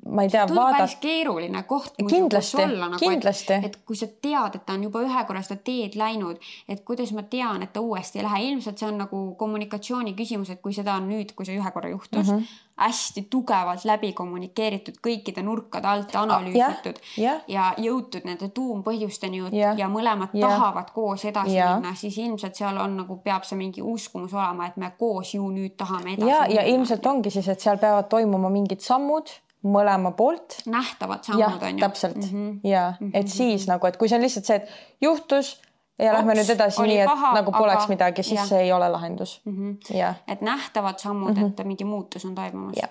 ma ei tea, vaadata. Tundub päris keeruline koht. Kindlasti, olla, nagu, kindlasti. Et, et kui sa tead, et ta on juba ühe korra seda teed läinud, et kuidas ma tean, et ta uuesti ei lähe. Ilmselt see on nagu kommunikatsiooni küsimus, et kui seda on nüüd, kui see ühe korra juhtus, mm -hmm. hästi tugevalt läbi kommunikeeritud, kõikide nurkade alt analüüsitud ah, yeah, yeah. ja jõutud nende tuumpõhjusteni yeah. ja mõlemad yeah. tahavad koos edasi yeah. minna, siis ilmselt seal on nagu, peab see mingi uskumus olema, et me koos ju nüüd tahame edasi ja, minna. Ja ilmselt ongi siis, et seal peavad toimuma mingid sammud mõlema poolt. Nähtavad sammud on ju. Täpselt. Mm -hmm. Ja, et siis nagu, et kui see on lihtsalt see, et juhtus ja lähme nüüd edasi nii, et paha, nagu poleks aga... midagi, siis ja. See ei ole lahendus. Mm -hmm. ja. Et nähtavad sammud, mm -hmm. et mingi muutus on toimumas. Ja.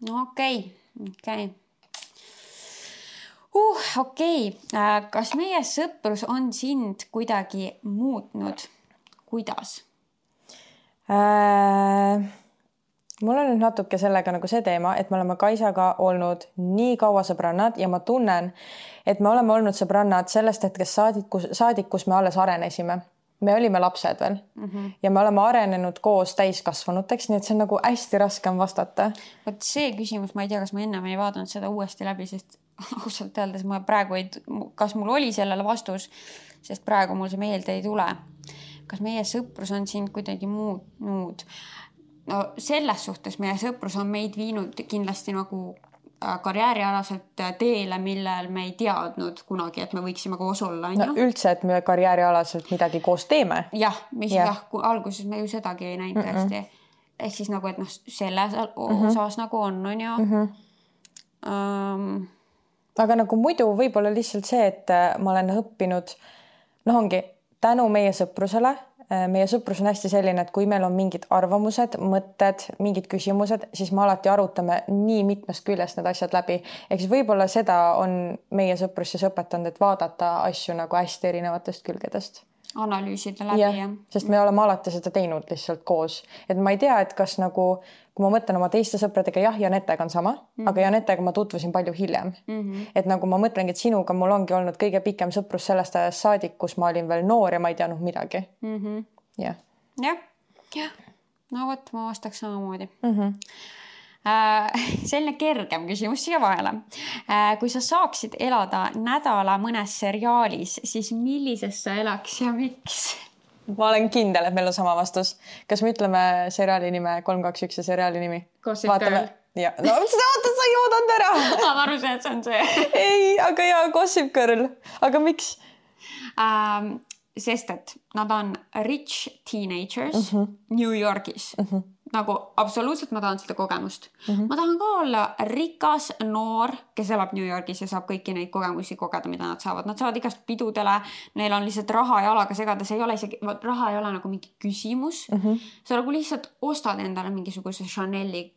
No okei, okay. okei. Okay. Uh, okei, okay. Kas meie sõprus on sind kuidagi muutnud? Kuidas? Äh... Mul on nüüd natuke sellega nagu see teema, et me oleme Kaisaga olnud nii kaua sõbrannad ja ma tunnen, et me oleme olnud sõbrannad sellest hetkest saadikus, saadikus me alles arenesime. Me olime lapsed veel mm -hmm. ja me oleme arenenud koos täiskasvanuteks, nii et see on nagu hästi raske on vastata. Vot see küsimus, ma ei tea, kas ma ennem ei vaadanud seda uuesti läbi, sest ausalt öeldes ma praegu ei, kas mul oli sellele vastus, sest praegu mul see meelde ei tule. Kas meie sõprus on sind kuidagi muutnud? No selles suhtes meie sõprus on meid viinud kindlasti nagu karjäärialaselt teele, millel me ei teadnud kunagi, et me võiksime koos olla. No üldse, et me karjäärialaselt midagi koos teeme. Jah, mis ja. jah, alguses me ju sedagi ei näinud mm -mm. tõesti. Ehk siis nagu, et noh, selles osas mm -hmm. nagu on, on ju. Mm -hmm. um... Aga nagu muidu võib-olla lihtsalt see, et ma olen õppinud, noh ongi tänu meie sõprusele. Meie sõprus on hästi selline, et kui meil on mingid arvamused, mõtted, mingid küsimused, siis me alati arutame nii mitmest küljest need asjad läbi. Ehk siis võib-olla seda on meie sõprus siis õpetanud, et vaadata asju nagu hästi erinevatest külgedest. analüüsida läbi ja, ja. Sest me oleme alati seda teinud lihtsalt koos. Et ma ei tea, et kas nagu, kui ma mõtlen oma teiste sõpradega, jah, Janetega on sama, mm -hmm. aga Janetega ma tutvusin palju hiljem. Mm -hmm. Et nagu ma mõtlengi, et sinuga mul ongi olnud kõige pikem sõprus sellest ajast saadik, kus ma olin veel noor ja ma ei teadnud midagi. Mm -hmm. Jah. Jah, jah. No vot, ma vastaks samamoodi. Mm -hmm. Selline kergem küsimus siia vahele. Kui sa saaksid elada nädala mõnes seriaalis, siis millises sa elaks ja miks? Ma olen kindel, et meil on sama vastus. Kas me ütleme seriaali nime kolm kaks üks ja seriaali nimi? Gossip Girl. Ja. No, oota, sa ei oodanud ära. Ma aru see, et see on see. Ei, aga jaa, Gossip Girl. Aga miks? Ähm, sest, et nad on rich teenagers mm -hmm. New Yorgis. Mm -hmm. Nagu absoluutselt ma tahan seda kogemust. Mm -hmm. Ma tahan ka olla rikas noor, kes elab New Yorgis ja saab kõiki neid kogemusi kogeda, mida nad saavad. Nad saavad igast pidudele, neil on lihtsalt raha jalaga segada, see ei ole isegi, raha ei ole nagu mingi küsimus. Mm -hmm. Sa nagu lihtsalt ostad endale mingisuguse Chanel'i,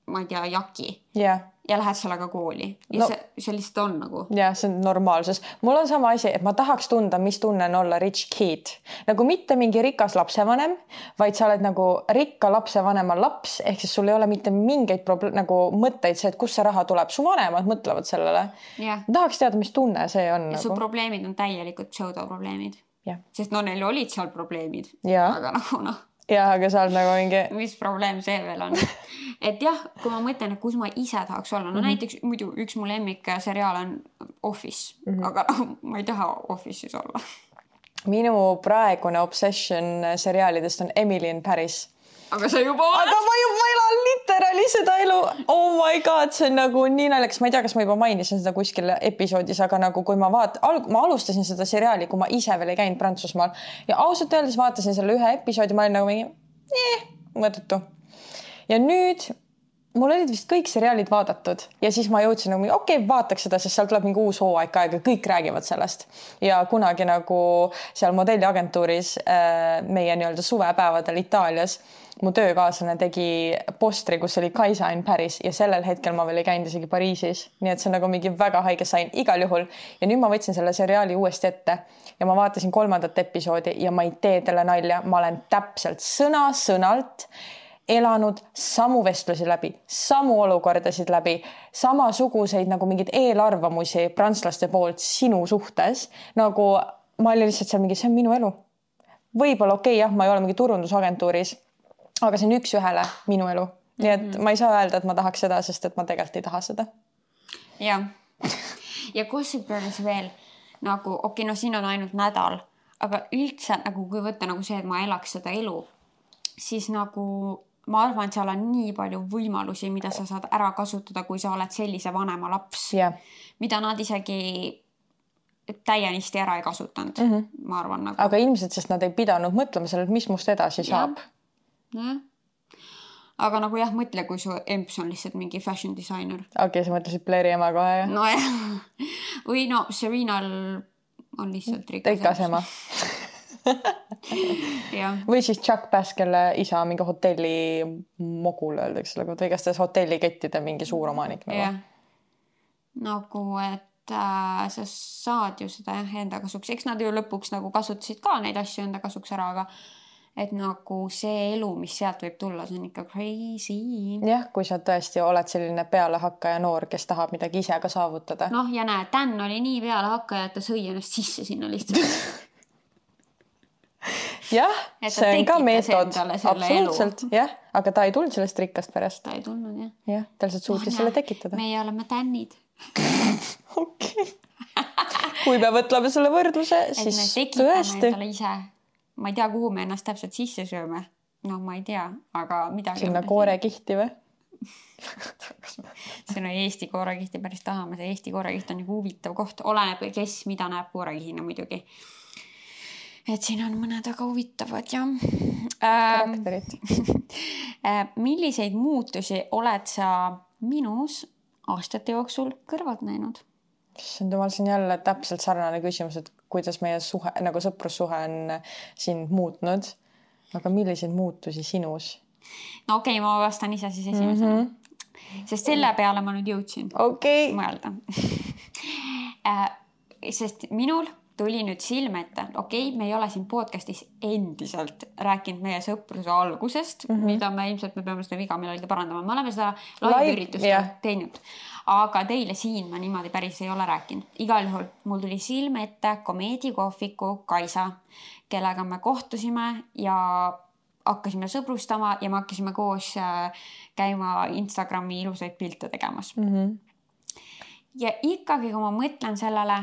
ma ei tea, jaki. Yeah. Ja lähed sellega kooli. Ja no, see, see lihtsalt on nagu. Ja see on normaalsus. Mul on sama asi, et ma tahaks tunda, mis tunne on olla rich kid. Nagu mitte mingi rikas lapsevanem, vaid sa oled nagu rikka lapsevanema laps, ehk siis sul ei ole mitte mingeid proble- nagu mõtteid see, et kust see raha tuleb. Su vanemad mõtlevad sellele. Yeah. Tahaks teada, mis tunne see on. Ja nagu. Su probleemid on täielikult pseudoprobleemid. Yeah. Sest no neil olid seal probleemid. Yeah. Aga nagu noh. Ja, aga sa oled nagu mingi... Mis probleem see veel on? Et jah, kui ma mõtlen, et kus ma ise tahaks olla, no mm -hmm. näiteks muidu üks mu lemmik seriaal on Office, mm -hmm. aga ma ei taha Office'is olla. Minu praegune obsession seriaalidest on Emily in Paris. Aga sa juba oled? Aga ma juba elan literaali seda elu. Oh my god, see on nagu nii naljakas. Ma ei tea, kas ma juba mainisin seda kuskil episoodis, aga nagu kui ma vaat... ma alustasin seda seriaali, kui ma ise veel ei käinud Prantsusmaal ja ausalt öeldes vaatasin selle ühe episoodi, ma olin nagu mingi eh, mõttetu. Ja nüüd mul olid vist kõik seriaalid vaadatud ja siis ma jõudsin nagu, okei, okay, vaataks seda, sest seal tuleb mingi uus hooaeg aega, kõik räägivad sellest. Ja kunagi nagu seal modelliagentuuris meie nii-öelda suvepäevadel Itaalias mu töökaaslane tegi postri, kus oli Kaisa in Paris ja sellel hetkel ma veel ei käinud isegi Pariisis. Nii et see on nagu mingi väga haige sain igal juhul. Ja nüüd ma võtsin selle seriaali uuesti ette ja ma vaatasin kolmandat episoodi ja ma ei tee talle nalja. Ma olen täpselt sõna sõnalt elanud samu vestlusi läbi, samu olukordasid läbi, samasuguseid nagu mingid eelarvamusi prantslaste poolt sinu suhtes. Nagu ma olin lihtsalt seal mingi, see on minu elu. Võib-olla okei, okay, jah, ma ei ole mingi turundusagentuuris, aga see on üks ühele minu elu. Nii et mm-hmm. ma ei saa öelda, et ma tahaks seda, sest et ma tegelikult ei taha seda. Ja, ja Gossip Girlis veel nagu, okei, okay, no siin on ainult nädal, aga üldse nagu kui võtta nagu see, et ma elaks seda elu, siis nagu ma arvan, et seal on nii palju võimalusi, mida sa saad ära kasutada, kui sa oled sellise vanema laps, yeah. mida nad isegi täienisti ära ei kasutanud, mm -hmm. ma arvan. Nagu... Aga ilmselt, sest nad ei pidanud mõtlema sellelt, mis must edasi saab. Ja. Ja. Aga nagu jah, mõtle, kui su emps on lihtsalt mingi fashion designer. Okei, okay, sa mõtlesid Blairi ema kohe, jah? No jah. Või no, Serenal on lihtsalt rikas, rikas ema. Või siis Chuck Bass, kelle isa mingi hotelli mogul öeldakse, või kas ta hotellikettide mingi suur omanik nagu. Yeah. Nagu, et äh, sa saad ju seda jah, enda kasuks. Eks nad ju lõpuks nagu kasutasid ka neid asju enda kasuks ära, aga et nagu see elu, mis sealt võib tulla, see on ikka crazy. Jah, kui sa tõesti oled selline pealehakkaja noor, kes tahab midagi ise ka saavutada. Noh, ja näe, Dan oli nii pealehakkaja, et ta sõi ennast sisse sinna lihtsalt. Jah, see on ka meetod. Absoluutselt, jah. Aga ta ei tulnud sellest rikkast perest. Ta ei tulnud, jah. Jah, ta lihtsalt suutis selle tekitada. Meie oleme Danid. Okei. Kui me võtleme selle võrdluse, siis tõesti. Ise. Ma ei tea, kuhu me ennast täpselt sisse sööme. No ma ei tea, aga midagi... Sinna koorekihti või? See on Eesti koorekihti päris tahame. See Eesti koorekiht on nagu huvitav koht. Oleneb, kes mida näeb koorekihina muidugi. Et siin on mõned väga huvitavad, jah. Karakterid. Milliseid muutusi oled sa minus aastate jooksul kõrvalt näinud? See on siin jälle täpselt sarnane küsimus, et kuidas meie suhe, nagu sõprussuhe on sind muutnud. Aga milliseid muutusi sinus? No okei, okay, ma vastan ise siis esimesena. Mm -hmm. Sest selle peale ma nüüd jõudsin okay. mõelda. Sest minul tuli nüüd silme ette. Okei, me ei ole siin podcastis endiselt rääkinud meie sõpruse algusest, mm -hmm. mida me ilmselt me peame seda viga millalgi parandama. Me oleme seda live-üritust yeah. teinud. Aga teile siin ma niimoodi päris ei ole rääkinud. Igal juhul mul tuli silme ette komeedikohviku Kaisa, kellega me kohtusime ja hakkasime sõbrustama ja me hakkasime koos käima Instagrami ilusaid pilte tegemas. Mm -hmm. Ja ikkagi, kui ma mõtlen sellele,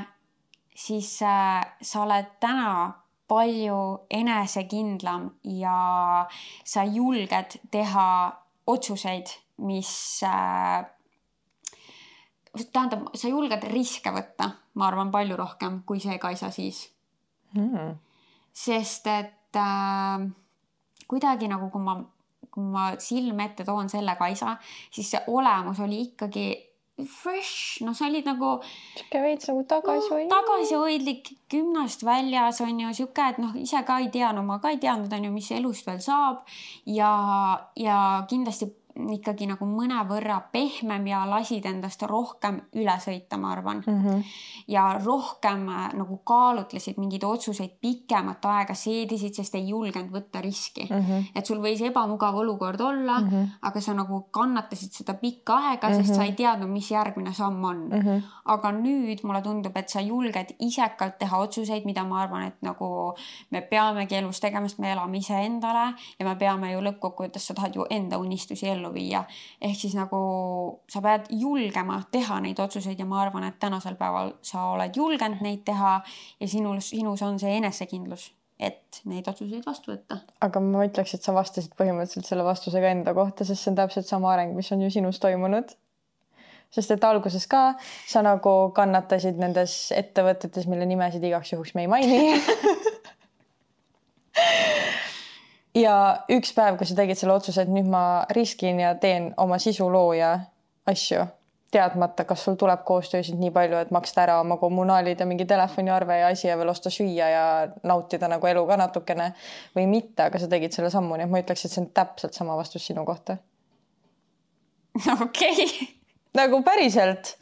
siis äh, sa oled täna palju enesekindlam ja sa julged teha otsuseid, mis äh, tähendab, sa julged riske võtta, ma arvan, palju rohkem kui see Kaisa siis. Mm. Sest et äh, kuidagi nagu, kui ma, kui ma silme ette toon selle Kaisa, siis see olemus oli ikkagi fresh, no sa olid nagu siuke veits nagu tagasihoidlik no, tagasihoidlik, kümnast väljas on ju siuke, et noh, ise ka ei tea, no ma ka ei teadnud, on ju, mis elust veel saab ja, ja kindlasti ikkagi nagu mõnevõrra pehmem ja lasid endast rohkem üle sõita, ma arvan. Mm-hmm. Ja rohkem nagu kaalutlesid mingeid otsuseid pikemat aega, seedisid, sest ei julgenud võtta riski. Mm-hmm. Et sul võis ebamugav olukord olla, mm-hmm. aga sa nagu kannatasid seda pikka aega, sest mm-hmm. sa ei teadnud, mis järgmine samm on. Mm-hmm. Aga nüüd mulle tundub, et sa julged isekalt teha otsuseid, mida ma arvan, et nagu me peamegi elus tegemast, me elame ise endale ja me peame ju lõppkokkuvõttes, sa tahad ju enda unistusi ellu viia. Ehk siis nagu sa pead julgema teha neid otsuseid ja ma arvan, et tänasel päeval sa oled julgenud neid teha ja sinus, sinus on see enesekindlus, et neid otsuseid vastu võtta. Aga ma ütleks, et sa vastasid põhimõtteliselt selle vastusega enda kohta, sest see on täpselt sama areng, mis on ju sinus toimunud. Sest et alguses ka sa nagu kannatasid nendes ettevõtetes, mille nimesid igaks juhuks me ei maini. Ja üks päev, kui sa tegid selle otsuse, et nüüd ma riskin ja teen oma sisulooja asju, teadmata, kas sul tuleb koostöösid nii palju, et maksta ära oma kommunaalid ja mingi telefoniarve ja asi ja veel osta süüa ja nautida nagu elu ka natukene või mitte, aga sa tegid selle sammu, nii et ma ütleks, et see on täpselt sama vastus sinu kohta. Okei. Okay. Nagu päriselt.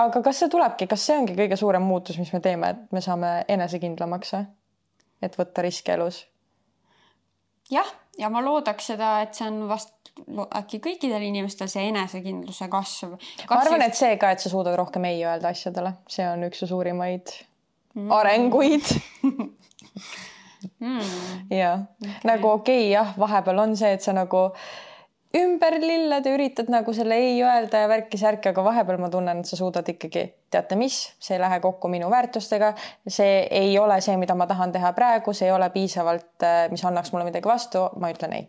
Aga kas see tulebki, kas see ongi kõige suurem muutus, mis me teeme, et me saame enesekindlamaks, et võtta riske elus? Jah, ja ma loodaks seda, et see on vast äkki kõikidel inimestel see enesekindluse kasv. Ma arvan, et see ka, et sa suudad rohkem ei öelda asjadele. See on üks suurimaid mm. arenguid. mm. Ja okay. Nagu okei, okay, jah, vahepeal on see, et sa nagu ümber lilled ja üritad nagu selle ei öelda ja värki särki, aga vahepeal ma tunnen, et sa suudad ikkagi, teate mis, see ei lähe kokku minu väärtustega, see ei ole see, mida ma tahan teha praegu, see ei ole piisavalt, mis annaks mulle midagi vastu, ma ütlen ei.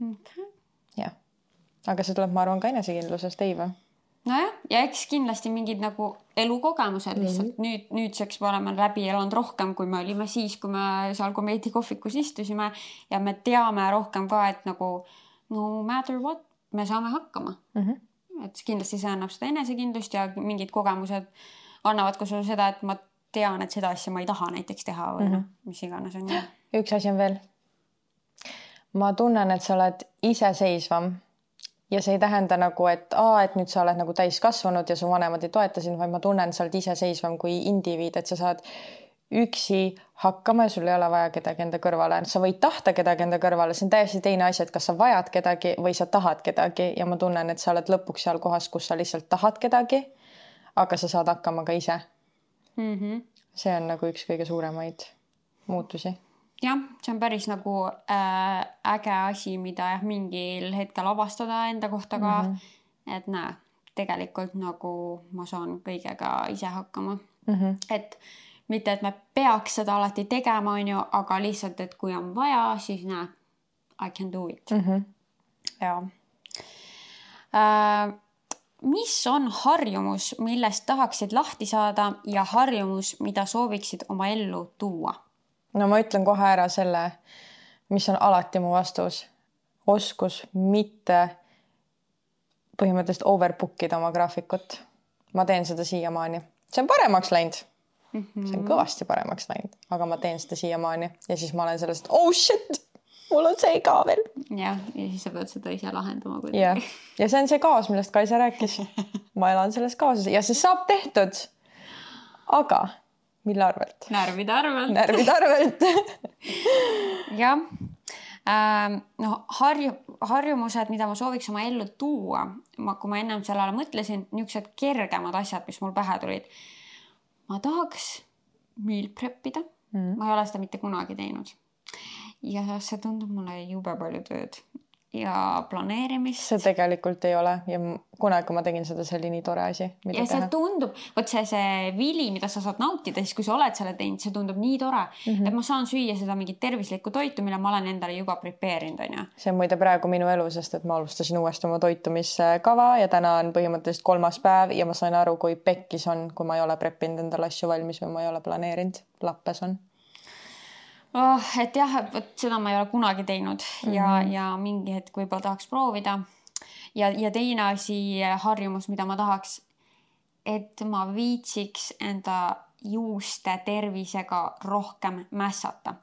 Okay. Jah. Aga see tuleb, ma arvan, ka enesekindlusest, ei või? Nojah, ja eks kindlasti mingid nagu elukogemused lihtsalt mm. nüüd, nüüdseks me oleme läbi elanud rohkem, kui me olime siis, kui me seal komeedikohvikus istusime ja me teame rohkem ka, et nagu no matter what, me saame hakkama. Mm-hmm. Et kindlasti see annab seda enesekindlust ja mingid kogemused annavad ka sulle seda, et ma tean, et seda asja ma ei taha näiteks teha või mm-hmm. mis iganes on. Üks asi on veel. Ma tunnen, et sa oled iseseisvam ja see ei tähenda nagu, et, aa, et nüüd sa oled nagu täis kasvanud ja su vanemad ei toeta sind, vaid ma tunnen, et sa oled iseseisvam kui indiviid, et sa saad üksi hakkama ja sul ei ole vaja kedagi enda kõrvale. Sa võid tahta kedagi enda kõrvale, see on täiesti teine asi, et kas sa vajad kedagi või sa tahad kedagi ja ma tunnen, et sa oled lõpuks seal kohas, kus sa lihtsalt tahad kedagi, aga sa saad hakkama ka ise. Mm-hmm. See on nagu üks kõige suuremaid muutusi. Jah, see on päris nagu äh, äge asi, mida jah, mingil hetkel avastada enda kohta ka, mm-hmm. et näe, tegelikult nagu ma saan kõigega ise hakkama. Mm-hmm. Et mitte, et me peaks seda alati tegema, on ju, aga lihtsalt, et kui on vaja, siis näe, I can do it. Mm-hmm. Ja. Äh, mis on harjumus, millest tahaksid lahti saada ja harjumus, mida sooviksid oma ellu tuua? No ma ütlen kohe ära selle, mis on alati mu vastus. Oskus mitte põhimõtteliselt overbookida oma graafikut. Ma teen seda siiamaani. See on paremaks läinud. Mm-hmm. See on kõvasti paremaks läinud, aga ma teen seda siiamaani ja siis ma olen sellest, oh shit, mul on see ka veel. Ja, ja siis sa pead seda ise lahendama kuidagi. Ja. ja see on see kaas, millest Kaisa rääkis. Ma elan selles kaasas ja see saab tehtud. Aga mille arvelt? Närvide arvelt. Närvide arvelt. jah. Ähm, no harju, harjumused, mida ma sooviks oma ellu tuua, ma, kui ma ennem sellele mõtlesin, niisugused kergemad asjad, mis mul pähe tulid. Ma tahaks meal preppida. Mm. Ma ei ole seda mitte kunagi teinud. Ja see tundub mulle jube palju tööd. Ja planeerimist. See tegelikult ei ole. Ja kunagi, kui ma tegin seda, see oli nii tore asi. Ja see teha. Tundub, võt see, see vili, mida sa saad nautida, siis kui sa oled selle teinud, see tundub nii tore, mm -hmm. et ma saan süüa seda mingit tervislikku toitu, mille ma olen endale juba prepeerinud. On see on muide praegu minu elu, sest et ma alustasin uuesti oma toitumiskava ja täna on põhimõtteliselt kolmas päev ja ma sain aru, kui pekkis on, kui ma ei ole preppinud endale asju valmis või ma ei ole planeerinud. Lappes on. Oh, et jah, et seda ma ei ole kunagi teinud ja, mm -hmm. ja mingi hetk võib-olla tahaks proovida. Ja, ja teine asi harjumus, mida ma tahaks, et ma viitsiks enda juuste tervisega rohkem mässata.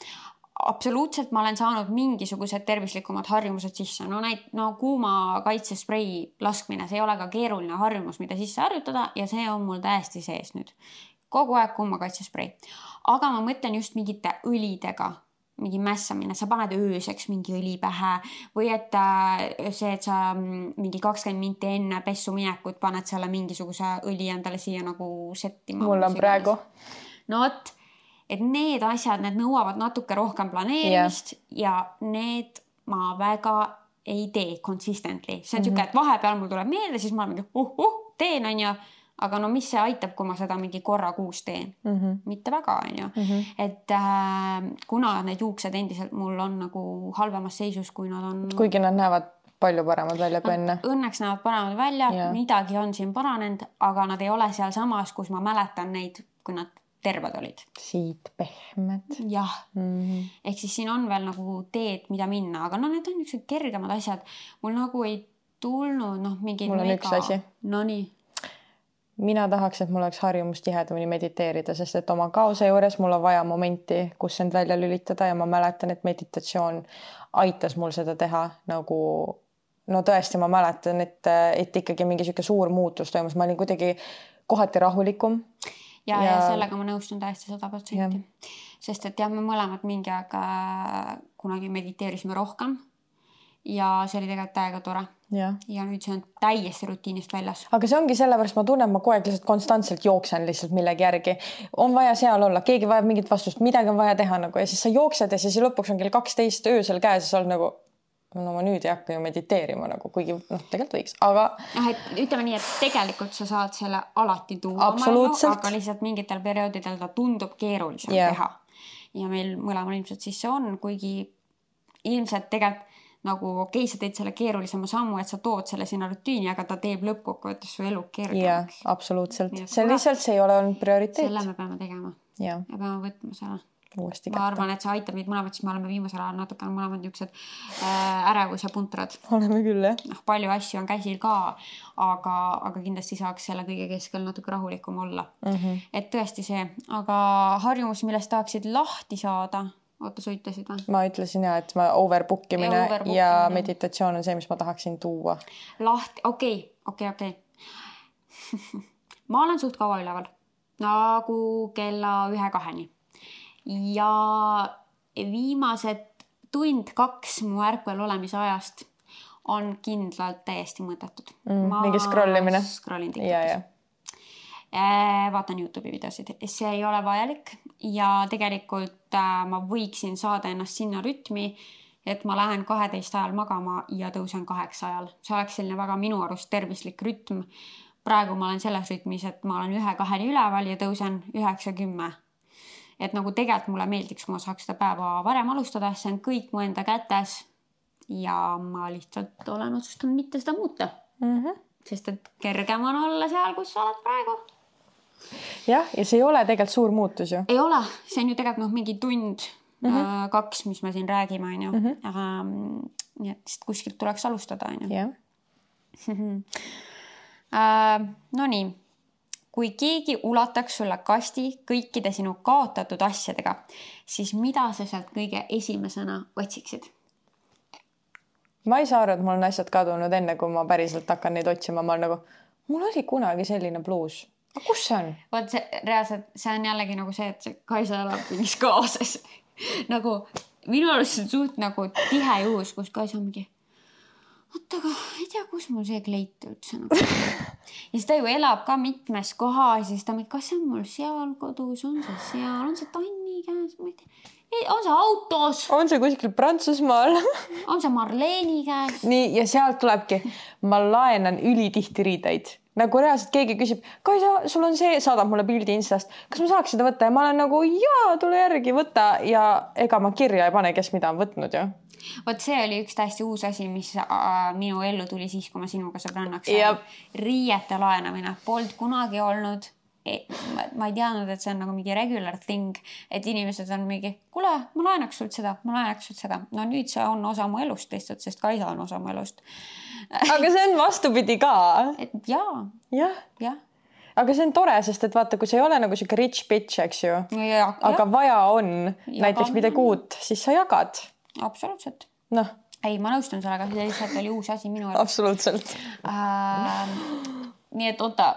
Absoluutselt ma olen saanud mingisugused tervislikumad harjumused sisse. No, näit, no kuuma kaitsesprei laskmine, see ei ole ka keeruline harjumus, mida sisse harjutada ja see on mul täiesti sees nüüd. Kogu aeg kuuma kaitsesprei. Aga ma mõtlen just mingite õlidega, mingi mässamine, sa paned ööseks mingi õli pähe või et see, et sa mingi kakskümmend minti enne pessu minekut paned selle mingisuguse õli endale siia nagu settima. Mul on praegu. No et, et need asjad, need nõuavad natuke rohkem planeerimist yeah. ja need ma väga ei tee consistently. See on mm -hmm. siuke, et vahepeal mul tuleb meelde, siis ma olen mingi uh, uh, teen on ju. Aga no mis see aitab, kui ma seda mingi korra kuus teen? Mm -hmm. Mitte väga, on ju. Mm -hmm. Et äh, kuna need juuksed endiselt mul on nagu halvemas seisus, kui nad on... Kuigi nad näevad palju paremad välja kui enne. Õnneks näevad paremad välja, yeah. midagi on siin paranenud, aga nad ei ole seal samas, kus ma mäletan neid, kui nad terved olid. Siit pehmed. Jah. Mm -hmm. Ehk siis siin on veel nagu teed, mida minna, aga no need on niisugused kergemad asjad. Mul nagu ei tulnud, noh, mingi... Mul on mega... üks asi. No nii. Mina tahaks, et mul oleks harjumus tihedamini mediteerida, sest et oma kaose juures mul on vaja momenti, kus end välja lülitada ja ma mäletan, et meditatsioon aitas mul seda teha nagu, no tõesti ma mäletan, et, et ikkagi mingi siuke suur muutus toimus, ma olin kuidagi kohati rahulikum. Ja, ja... ja sellega ma nõustun täiesti sada protsenti. Sest et jah, me mõlemad mingi aeg kunagi mediteerisime rohkem ja see oli tegelikult täiega tore. Ja. ja nüüd see on täiesti rutiinist väljas. Aga see ongi sellepärast, ma tunnen, ma kogu aeg lihtsalt konstantselt jooksen lihtsalt millegi järgi. On vaja seal olla, keegi vajab mingit vastust, midagi on vaja teha nagu ja siis sa jooksed ja siis lõpuks on kell kaksteist öösel käes ja sa oled nagu, no ma nüüd ei hakka ju mediteerima nagu, kuigi noh, tegelikult võiks, aga... Ah, et ütleme nii, et tegelikult sa saad selle alati tuua, absoluutselt. aga lihtsalt mingitel perioodidel ta tundub keerulisem yeah. teha. Ja meil mõlemal ilmselt siis see on, kuigi ilmselt tegelikult nagu okei, sa teed selle keerulisema sammu, et sa tood selle sinna rutiini, aga ta teeb lõppkokkuvõttes su elu kergemaks. Jah, absoluutselt. See lihtsalt see ei ole olnud prioriteet. Selle me peame tegema. Ja, ja peame võtma selle. Uuesti ma kätte. Arvan, et see aitab meid mõlemad, siis me oleme viimasel ajal natuke mõlemad niisugused äh, ärevus ja puntrad. Oleme küll, jah. No, palju asju on käsil ka, aga, aga kindlasti saaks selle kõige keskel natuke rahulikum olla. Mm -hmm. Et tõesti see, aga harjumus, millest tahaksid lahti saada... Oota, sa ütlesid või? Ma ütlesin ja, et ma overbook imine ja, overbook ja meditatsioon on see, mis ma tahaksin tuua. Lahti, okei, okei, okei. Ma olen suht kaua üleval, nagu kella ühe kaheni. Ja viimased tund kaks mu ärkvel olemise ajast on kindlalt täiesti mõttetud. Mm, ma mingi scrollimine. Scrollin TikTokis. Vaatan YouTube'i videosid. See ei ole vajalik ja tegelikult ma võiksin saada ennast sinna rütmi, et ma lähen kaheteist ajal magama ja tõusen kaheksa ajal. See oleks selline väga minu arust tervislik rütm. Praegu ma olen selles rütmis, et ma olen ühe kaheni üleval ja tõusen üheksa kümme. Et nagu tegelikult mulle meeldiks, kui ma saaks seda päeva varem alustada, see on kõik mu enda kätes ja ma lihtsalt olen otsustanud mitte seda muuta. Mm -hmm. Sest et kergem on olla seal, kus sa oled praegu. Jah, ja see ei ole tegelikult suur muutus ju. Ei ole, see on ju tegelikult noh, mingi tund mm -hmm. kaks, mis me siin räägime, on ju. Mm -hmm. Aga nii, et kuskilt tuleks alustada, on ju. Jah. No nii, kui keegi ulataks sulle kasti kõikide sinu kaotatud asjadega, siis mida sa sealt kõige esimesena otsiksid? Ma ei saa aru, et mul on asjad kadunud enne, kui ma päriselt hakkan neid otsima. Ma olen nagu, mul oli kunagi selline bluus. aga kus see on? Vaat see reaalselt, see on jällegi nagu see, et see Kaisa elab mingis kaoses. Nagu minu arust see on suht nagu tihe juhus, kus Kaisa on mingi oot, aga ei tea, kus mul see kleit üldse nagu. Ja siis ta ju elab ka mitmes kohas, siis ta mingi, kas see on mul seal kodus, on see seal, on see Tanni käes, ma ei tea. On see autos? On see kuskil Prantsusmaal? On see Marleeni käes? Nii, ja sealt tulebki, ma laenan ülitihti riideid. Nagu reaalselt keegi küsib, Kaisa, sul on see, saadab mulle pildi Instast, kas ma saaks seda võtta? Ja ma olen nagu, jaa, tule järgi võtta ja ega ma kirja ei pane, kes mida on võtnud ju. Vot see oli üks täiesti uus asi, mis äh, minu ellu tuli siis, kui ma sinuga sõbrannaks sain. Riiete laenamine. Polt kunagi olnud. E, ma, ma ei teadnud, et see on nagu mingi regular thing, et inimesed on mingi, kuule, ma laenaks sult seda, ma laenaks sult seda. No nüüd see on osa mu elust lihtsalt, sest Kaisa on osa mu elust. Aga see on vastupidi ka. Et jaa. Jah. Ja. Aga see on tore, sest et vaata, kui see ei ole nagu siuke rich bitch, eks ju. Ja, aga ja. Vaja on Jagan. Näiteks midagi uut, siis sa jagad. Absoluutselt. Noh. Ei, ma nõustun sellega, see lihtsalt oli uus asi minu elus. Absoluutselt. Äh, nii et oota,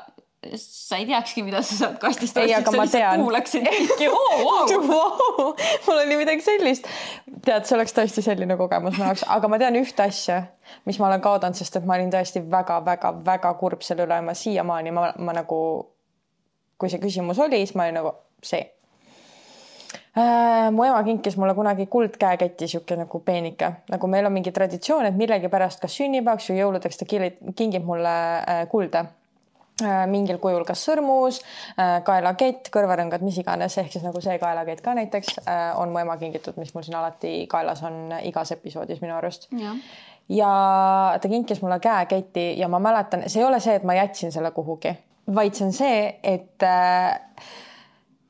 sa ei teakski, mida sa saad kastist. Ei, aga ma tean. Kuulaksid mingi, oo, wow. wow. Mul oli midagi sellist. Tead, see oleks tõesti selline kogemus ma jaoks. Aga ma tean ühte asja, mis ma olen kaotanud, sest et ma olin tõesti väga, väga, väga kurb selle üle. Ma siiamaani, ma, ma nagu, kui see küsimus oli, siis ma olin nagu see. Äh, mu ema kinkis mulle kunagi kuldkäeketti siuke nagu peenike. Nagu meil on mingi traditsioon, et millegi pärast kas sünnipäevaks või jõuludeks ta kingib mulle äh, kulde. Äh, mingil kujul kas sõrmus, äh, kaelakett, kõrvarõngad, mis iganes. Ehk siis nagu see kaelakett ka näiteks äh, on mu ema kingitud, mis mul siin alati kaelas on igas episoodis minu arust. Ja. ja ta kinkis mulle käeketti ja ma mäletan, see ei ole see, et ma jätsin selle kuhugi, vaid see on see, et äh,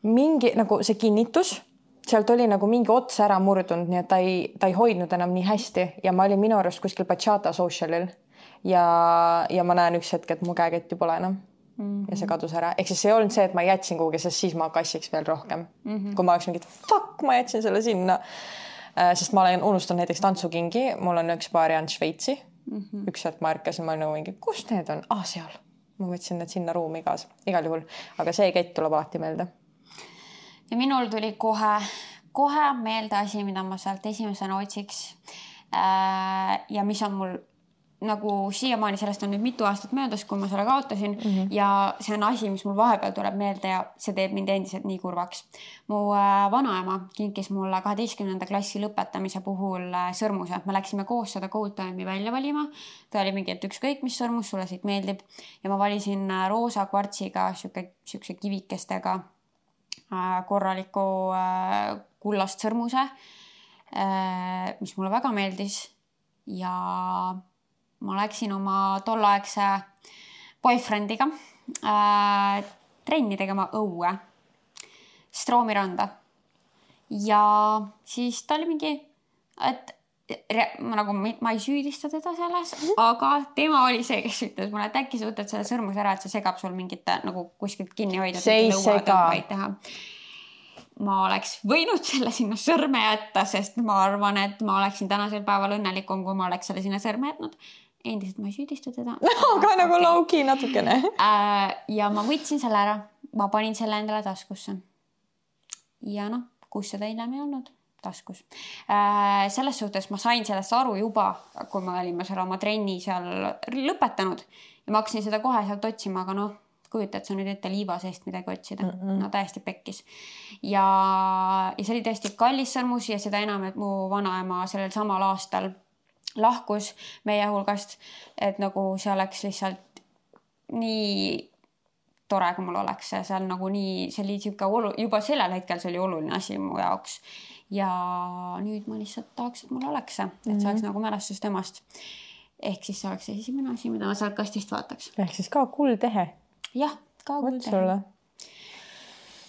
mingi nagu see kinnitus sealt oli nagu mingi ots ära murdunud, nii et ta ei, ta ei hoidnud enam nii hästi ja ma olin minu arust kuskil Bachata socialil ja, ja ma näen üks hetk, et mu käeketti pole enam mm-hmm. ja see kadus ära. Ehk siis see ei olnud see, et ma jätsin kuhugi, sest siis ma kassiks veel rohkem. Mm-hmm. Kui ma oleks mingit, fuck, ma jätsin selle sinna. Sest ma olen unustanud näiteks tantsukingi, mul on üks paari and Šveitsi. Mm-hmm. Üks hetk ma ärkasin, ma nagu mingi, kus need on? Ah, seal. Ma võtsin need sinna ruumi kaasa, igal juhul. Aga see kett tuleb alati meelde. Ja minul tuli kohe, kohe meelde asi, mida ma sealt esimesena otsiks. Ja mis on mul nagu siiamaani, sellest on nüüd mitu aastat möödas, kui ma selle kaotasin mm-hmm. ja see on asi, mis mul vahepeal tuleb meelde ja see teeb mind endiselt nii kurvaks. Mu vanaema kinkis mulle kaheteistkümnenda klassi lõpetamise puhul sõrmuse. Me läksime koos seda Gold Time'i välja valima. Ta oli mingi, et ükskõik mis sõrmus sulle siit meeldib ja ma valisin roosa kvartsiga siukse kivikestega korraliku kullast sõrmuse, mis mulle väga meeldis ja ma läksin oma tollaegse boyfriendiga trenni tegema õue Stroomiranda ja siis ta oli mingi, et ma, nagu, ma ei süüdista teda selles, aga tema oli see, kes ütles mulle, et äkki sa võtad selle sõrmus ära, et see segab sul mingit nagu kuskilt kinni hoida. See ei sega. Ma oleks võinud selle sinna sõrme jätta, sest ma arvan, et ma oleksin tänasel päeval õnnelikum, kui ma oleks selle sinna sõrme jätnud. Endiselt ma ei süüdista teda. No, aga okay. Nagu lauki natukene. Ja ma võtsin selle ära. Ma panin selle endale taskusse. Ja noh, kus seda hiljem ei olnud? Taskus. Selles suhtes ma sain sellest aru juba, kui me olime selle oma trenni seal lõpetanud ja ma hakkasin seda kohe sealt otsima, aga noh, kujutad sa nüüd ette liiva seest midagi otsida. Mm-mm. No täiesti pekkis. Ja, ja see oli tõesti kallis sõrmus ja seda enam, et mu vanaema sellel samal aastal lahkus meie hulgast, et nagu see oleks lihtsalt nii tore, kui mul oleks see seal nagu nii, see oli olu, juba sellel hetkel see oli oluline asi mu jaoks. Ja nüüd ma lihtsalt tahaks, et mul oleks see, et see oleks mm-hmm. nagu mälestus temast. Ehk siis see oleks esimene asi, mida ma sealt kastist vaataks. Ehk siis ka kuldtehe. Jah, ka kuldtehe.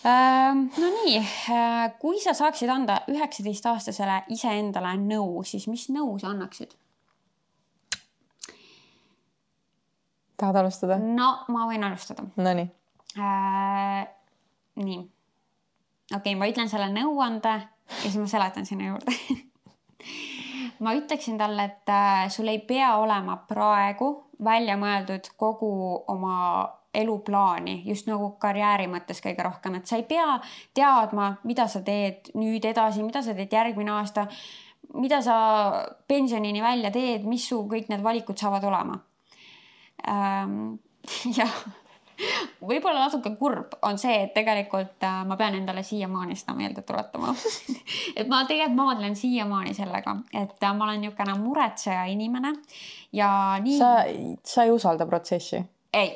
Ähm, no nii, kui sa saaksid anda üheksateist-aastasele iseendale nõu, siis mis nõu sa annaksid? Tahad alustada? No, ma võin alustada. No nii. Äh, nii. Okei, okay, ma ütlen selle nõuande ja siis ma seletan sinna juurde. ma ütleksin talle, et äh, sul ei pea olema praegu välja mõeldud kogu oma eluplaani, just nagu karjääri mõttes kõige rohkem, et sa ei pea teadma, mida sa teed nüüd edasi, mida sa teed järgmine aasta, mida sa pensionini välja teed, mis su kõik need valikud saavad olema. Ähm, jah, võib-olla natuke kurb on see, et tegelikult äh, ma pean endale siiamaani seda meelde tuletama. et ma tegelikult maadlen siiamaani sellega, et äh, ma olen niisugune muretseja inimene ja nii... Sa, sa ei usalda protsessi? Ei,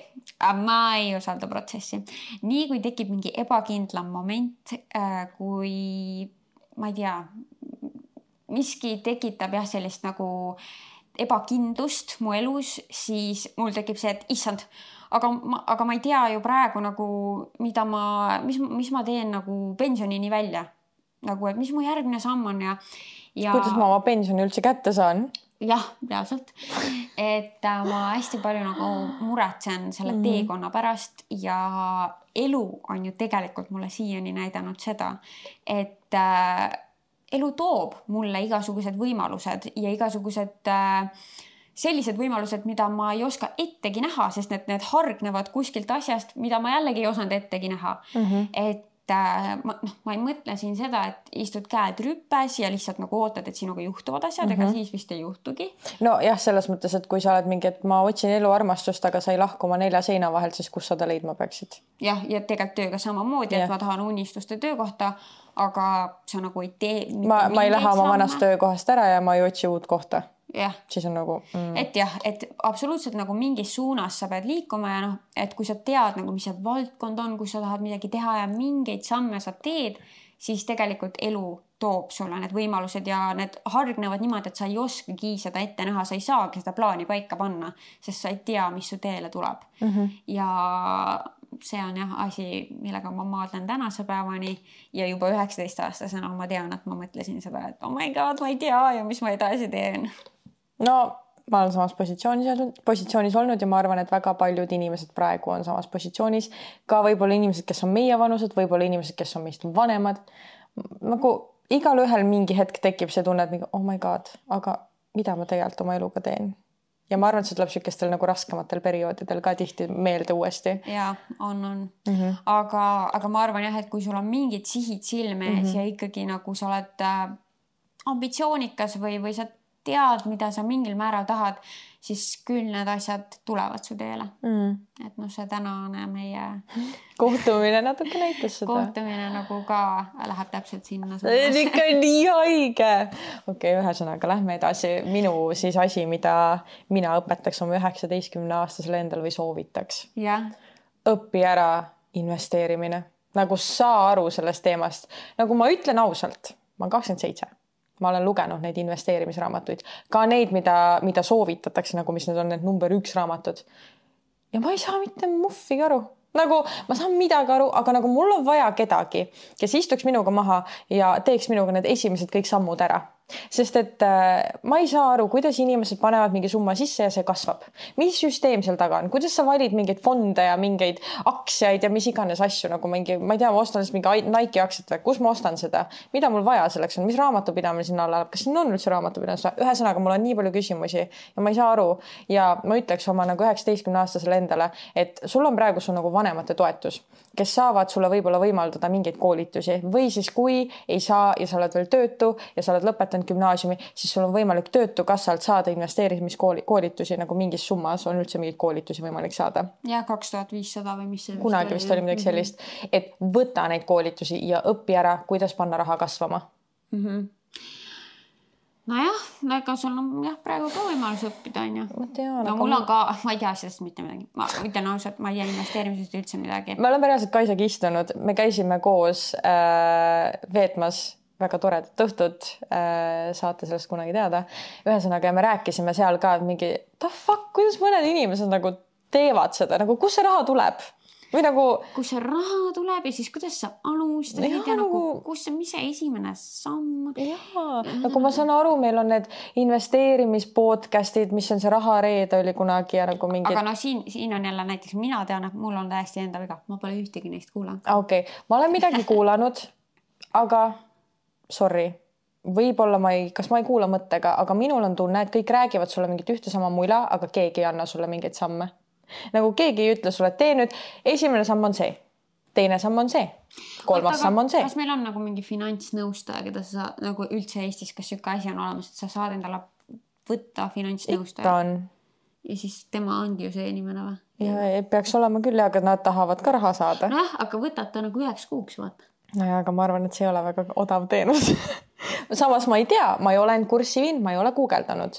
ma ei usalda protsessi. Nii kui tekib mingi ebakindlam moment, äh, kui ma ei tea, miski tekitab jah sellist nagu ebakindlust mu elus, siis mul tekib see, et issand, aga ma, aga ma ei tea ju praegu nagu, mida ma, mis, mis ma teen nagu pensionini välja. Nagu, et mis mu järgmine samm on ja, ja... Kuidas ma oma pensioni üldse kätte saan? Jah, reaalselt. Et ma hästi palju nagu muretsen selle mm. teekonna pärast ja elu on ju tegelikult mulle siiani näidanud seda, et äh, elu toob mulle igasugused võimalused ja igasugused äh, sellised võimalused, mida ma ei oska ettegi näha, sest need, need hargnevad kuskilt asjast, mida ma jällegi ei osanud ettegi näha. Mm-hmm. Et äh, ma, no, ma ei mõtle siin seda, et istud käed rüppes ja lihtsalt nagu ootad, et sinuga juhtuvad asjad, mm-hmm. ega siis vist ei juhtugi. No jah, selles mõttes, et kui sa oled mingi, et ma otsin elu armastust, aga sa ei lahku oma nelja seina vahelt, siis kus sa ta leidma peaksid? Jah, ja tegelikult tööga samamoodi, yeah. et ma tahan unistuste töökohta, aga sa nagu ei tee... Ma, ma ei lähe oma vanast töökohast ära ja ma ei otsi uut kohta. Jah. Siis on nagu... Mm. Et jah, et absoluutselt nagu mingis suunas sa pead liikuma ja noh, et kui sa tead nagu, mis see valdkond on, kus sa tahad midagi teha ja mingeid samme sa teed, siis tegelikult elu toob sulle need võimalused ja need hargnevad niimoodi, et sa ei oskagi seda ette näha, sa ei saagi seda plaani paika panna, sest sa ei tea, mis su teele tuleb. Mm-hmm. Ja see on jah asi, millega ma maadlen tänase päevani ja juba üheksateist aastasena ma tean, et ma mõtlesin seda, et oh my god, ma ei tea ja mis ma edasi teen. No ma olen samas positsioonis, positsioonis olnud ja ma arvan, et väga paljud inimesed praegu on samas positsioonis. Ka võib-olla inimesed, kes on meie vanused, võib-olla inimesed, kes on meist vanemad. Nagu igal ühel mingi hetk tekib see tunne, et mingi, oh my god, aga mida ma tegelikult oma eluga teen? Ja ma arvan, et see tuleb sükestel nagu raskematel perioodidel ka tihti meelde uuesti. Ja, on, on. Mm-hmm. Aga, aga ma arvan jah, et kui sul on mingid sihid silme ees mm-hmm. ja ikkagi nagu sa oled äh, ambitsioonikas või, või sa tead, mida sa mingil määral tahad, siis küll need asjad tulevad su teele. Mm. Et noh, see tänane meie... Kohtumine natuke näitas seda. Kohtumine nagu ka läheb täpselt sinna. See on ikka nii haige. Okei, okay, ühesõnaga, lähme edasi. Minu siis asi, mida mina õpetaks oma üheksateistkümne aastasele endal või soovitaks. Yeah. Õpi ära investeerimine. Nagu saa aru sellest teemast. Nagu ma ütlen ausalt, ma olen kakskümmend seitse. Ma olen lugenud neid investeerimisraamatuid. Ka neid, mida, mida soovitatakse, nagu mis need on need number üks raamatud. Ja ma ei saa mitte muffigi aru. Nagu ma saan midagi aru, aga nagu mul on vaja kedagi, kes istuks minuga maha ja teeks minuga need esimesed kõik sammud ära. Sest et äh, ma ei saa aru, kuidas inimesed panevad mingi summa sisse ja see kasvab. Mis süsteem seal taga on? Kuidas sa valid mingeid fonde ja mingeid aktsiaid ja mis iganes asju, nagu mingi, ma ei tea, ma ostan mingi Nike aktsiat või kus ma ostan seda? Mida mul vaja selleks on? Mis raamatupidamine sinna alla? Kas siin on üldse raamatupidamine? Ühesõnaga, mul on nii palju küsimusi ja ma ei saa aru. Ja ma ütleks oma nagu üheksateistkümne aastasele endale, et sul on praegu su nagu vanemate toetus, kes saavad sulle võib-olla võimaldada mingeid koolitusi või siis kui ei saa ja sa oled veel töötu ja sa oled lõpetanud gümnaasiumi, siis sul on võimalik töötukassalt saada investeerimiskoolitusi nagu mingis summas on üldse mingeid koolitusi võimalik saada. Ja kaks tuhat viissada või mis see kunagi vist oli midagi sellist, et võta neid koolitusi ja õpi ära, kuidas panna raha kasvama. Mm-hmm. Nojah, no ega sul on jah, praegu ka võimalus õppida, on ju. Ma tean, no mul on ka, ma ei tea sellest mitte midagi. Ma ütlen ausalt, ma ei tea investeerimisest üldse midagi. Me oleme reaalselt Kaisaga istunud. Me käisime koos äh, veetmas väga toredat õhtut, äh, saate sellest kunagi teada. Ühesõnaga, me rääkisime seal ka mingi, the fuck, kuidas mõned inimesed nagu teevad seda, nagu kus see raha tuleb? Või nagu... Kus see raha tuleb ja siis kuidas sa alustad ja, ja nagu, kus see, mis see esimene samm? Jaa, nagu ma saan aru, meil on need investeerimispodcastid, mis on see rahareede oli kunagi ja nagu mingid... Aga no siin, siin on jälle näiteks, mina tean, et mul on täiesti enda viga. Ma pole ühtegi neist kuulanud. Okei, okay. Ma olen midagi kuulanud, aga... Sorry, võib-olla ma ei, kas ma ei kuula mõttega, aga minul on tunne, et kõik räägivad sulle mingit ühte sama mula, aga keegi ei anna sulle mingeid samme. Nagu keegi ei ütle sulle, et tee nüüd, esimene samm on see, teine samm on see, kolmas Oota, samm on see. Kas meil on nagu mingi finantsnõustaja, keda sa saad, nagu üldse Eestis, kas siuke asi on olemas, et sa saad endale võtta finantsnõustaja? Ikka on. Ja siis tema ongi ju see inimene või? Ja peaks olema küll, aga nad tahavad ka raha saada. Nojah, aga võtad ta nagu üheks kuuks, vaata. Nojah, aga ma arvan, et see ei ole väga odav teenus. Samas ma ei tea, ma ei ole end kurssi viinud, ma ei ole guugeldanud.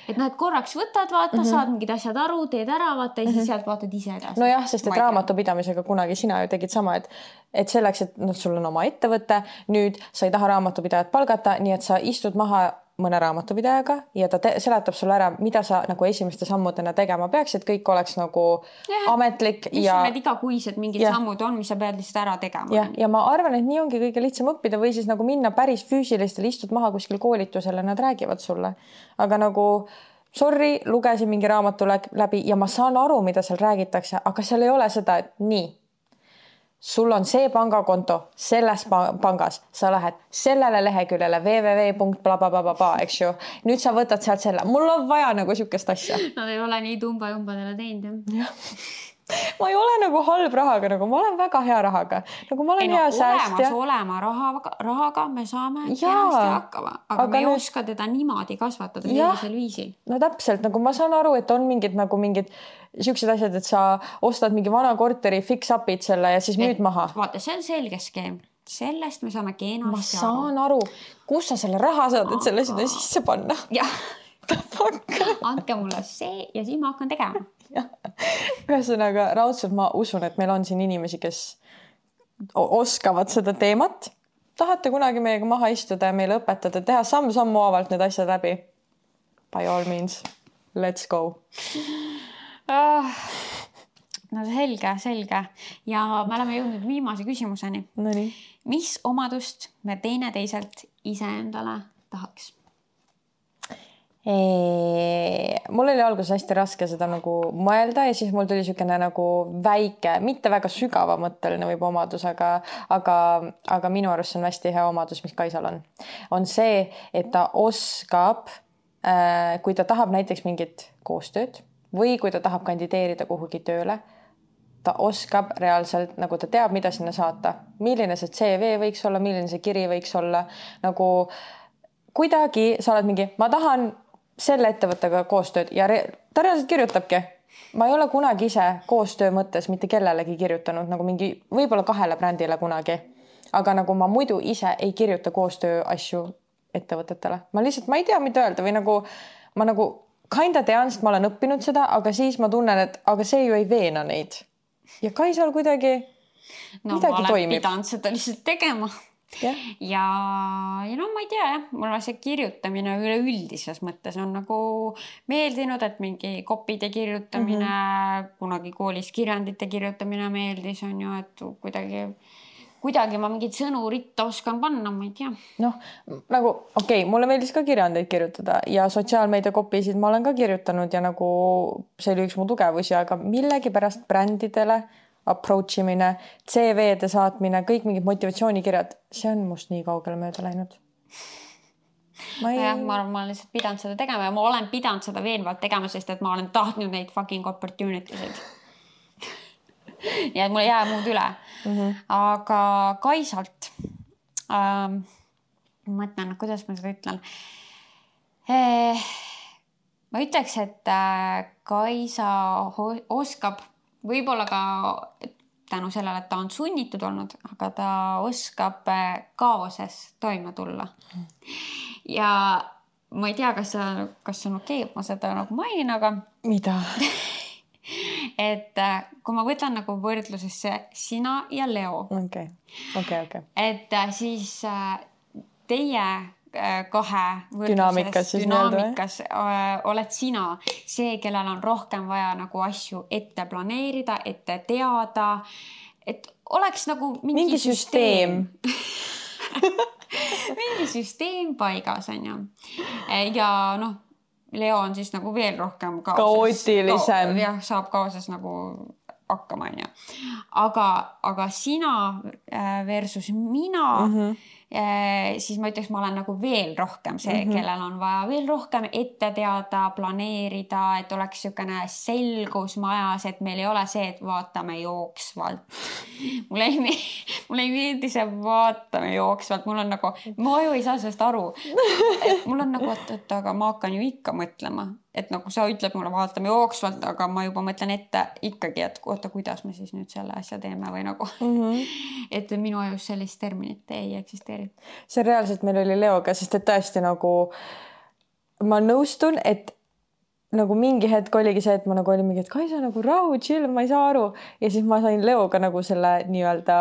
Et noh, et korraks võtad, vaata, mm -hmm. saad mingid asjad aru, teed ära, vaata, ja siis mm -hmm. sealt vaatad ise edasi. No jah, sest et raamatupidamisega kunagi sina ju tegid sama, et, et selleks, et no, sul on oma ettevõte, nüüd sa ei taha raamatupidajat palgata, nii et sa istud maha mõne raamatupidajaga ja ta te, seletab sulle ära, mida sa nagu esimeste sammudena tegema peaks, et kõik oleks nagu ja, ametlik. Mis ja... need igakuised mingid ja. sammud on, mis sa pead lihtsalt ära tegema. Ja, ja ma arvan, et nii ongi kõige lihtsam õppida või siis nagu minna päris füüsilistele, istud maha kuskil koolitusele, nad räägivad sulle. Aga nagu sorry, lugesin mingi raamatu läbi ja ma saan aru, mida seal räägitakse, aga seal ei ole seda, et nii. Sul on see pangakonto selles pangas, sa lähed sellele leheküljele www punkt bla bla bla bla, eks ju. Nüüd sa võtad sealt selle. Mul on vaja nagu siukest asja. Nad ei ole nii tumba jumbadele teinud. jah. Ma ei ole nagu halb rahaga, nagu ma olen väga hea rahaga. Nagu ma olen ei, no, hea säästja. Olema rahaga, rahaga me saame kenasti hakkama, aga, aga me ei nüüd... oska teda niimoodi kasvatada sellisel viisil. No täpselt, nagu ma saan aru, et on mingid nagu mingid siuksed asjad, et sa ostad mingi vana korteri fix-up'id selle ja siis müüd maha. Vaata, see on selge skeem. Sellest me saame kenasti aru. Ma saan aru, kus sa selle raha saad, et selle sinna sisse panna. Jah. Andke mulle see ja siis ma hakkan tegema. Ühesõnaga, raudselt ma usun, et meil on siin inimesi, kes oskavad seda teemat. Tahate kunagi meiega maha istuda ja meile õpetada, teha samm-sammu avalt need asjad läbi. By all means, let's go. Ah, no selge, selge. Ja me oleme jõudnud viimase küsimuseni. No nii. Mis omadust me teine teiselt iseendale tahaks? Eee, mul oli alguses hästi raske seda nagu mõelda ja siis mul tuli siukene nagu väike, mitte väga sügava mõtteline võib omadus, aga, aga, aga minu arust see on hästi hea omadus, mis Kaisal on. On see, et ta oskab, äh, kui ta tahab näiteks mingit koostööd või kui ta tahab kandideerida kuhugi tööle, ta oskab reaalselt, nagu ta teab, mida sinna saata. Milline see C V võiks olla, milline see kiri võiks olla. Nagu kuidagi sa oled mingi, ma tahan selle ettevõttega koostööd ja re ta reaalselt kirjutabki. Ma ei ole kunagi ise koostöö mõttes mitte kellelegi kirjutanud, nagu mingi võib-olla kahele brändile kunagi. Aga nagu ma muidu ise ei kirjuta koostöö asju ettevõtetele. Ma lihtsalt, ma ei tea, mida öelda või nagu ma nagu kinda tean, sest ma olen õppinud seda, aga siis ma tunnen, et aga see ju ei veena neid. Ja Kaisal kuidagi no, midagi toimib. No ma olen pidanud seda lihtsalt tegema. Yeah. Ja, ja no ma ei tea, jah, mulle see kirjutamine üleüldises mõttes on nagu meeldinud, et mingi kopide kirjutamine, mm -hmm. kunagi koolis kirjandite kirjutamine meeldis, on ju, et kuidagi, kuidagi ma mingid sõnu ritta oskan panna, ma ei tea. Noh, nagu okei, okay, mulle meeldis ka kirjandeid kirjutada ja sotsiaalmeedia kopisid ma olen ka kirjutanud ja nagu see oli üks mu tugevusi, aga millegi pärast brändidele approach imine, C V-de saatmine, kõik mingid motivatsioonikirjad, see on must nii kaugele mööda läinud. Ma, ei... ja, ma arvan, ma olen lihtsalt pidanud seda tegema ja ma olen pidanud seda veenvalt tegema, sest et ma olen tahtnud neid fucking opportunity'sid. ja et mul ei jää muud üle. Mm -hmm. Aga Kaisalt, ähm, ma mõtlen, kuidas ma seda ütlen. Eh, ma ütleks, et äh, Kaisa oskab võib-olla ka tänu sellele, et ta on sunnitud olnud, aga ta oskab kaoses toime tulla. Ja ma ei tea, kas see, kas see on okei, okay, ma seda nagu mainin, aga... Mida? et kui ma võtan nagu võrdlusesse sina ja Leo. Okei, okei, okei. Et siis teie... kahe dünaamikas, dünaamikas oled sina see, kellel on rohkem vaja nagu asju ette planeerida, ette teada, et oleks nagu mingi, mingi süsteem, süsteem. mingi süsteem paigas on ju. Ja noh, Leo on siis nagu veel rohkem kaoses, kaootilisem. Jah, saab kaoses nagu hakkama on ju. Aga, aga sina versus mina mm -hmm. siis ma ütleks, ma olen nagu veel rohkem see, mm-hmm. kellel on vaja veel rohkem ette teada, planeerida, et oleks niisugune selgus majas, et meil ei ole see, et vaatame jooksvalt. Mulle ei, mulle ei meeldi see vaatame jooksvalt, mul on nagu, ma ju ei saa sellest aru. Et mul on nagu, et, et aga ma hakkan ju ikka mõtlema, et nagu sa ütled mulle vaatame jooksvalt, aga ma juba mõtlen ette ikkagi, et oota, kuidas me siis nüüd selle asja teeme või nagu, mm-hmm. et minu ajus sellist terminit ei eksisteeri. See reaalselt meil oli Leoga, sest et tõesti nagu ma nõustun, et nagu mingi hetk oligi see, et ma nagu olin mingi, et Kaisa nagu rahu, chill, ma ei saa aru. Ja siis ma sain Leoga nagu selle nii-öelda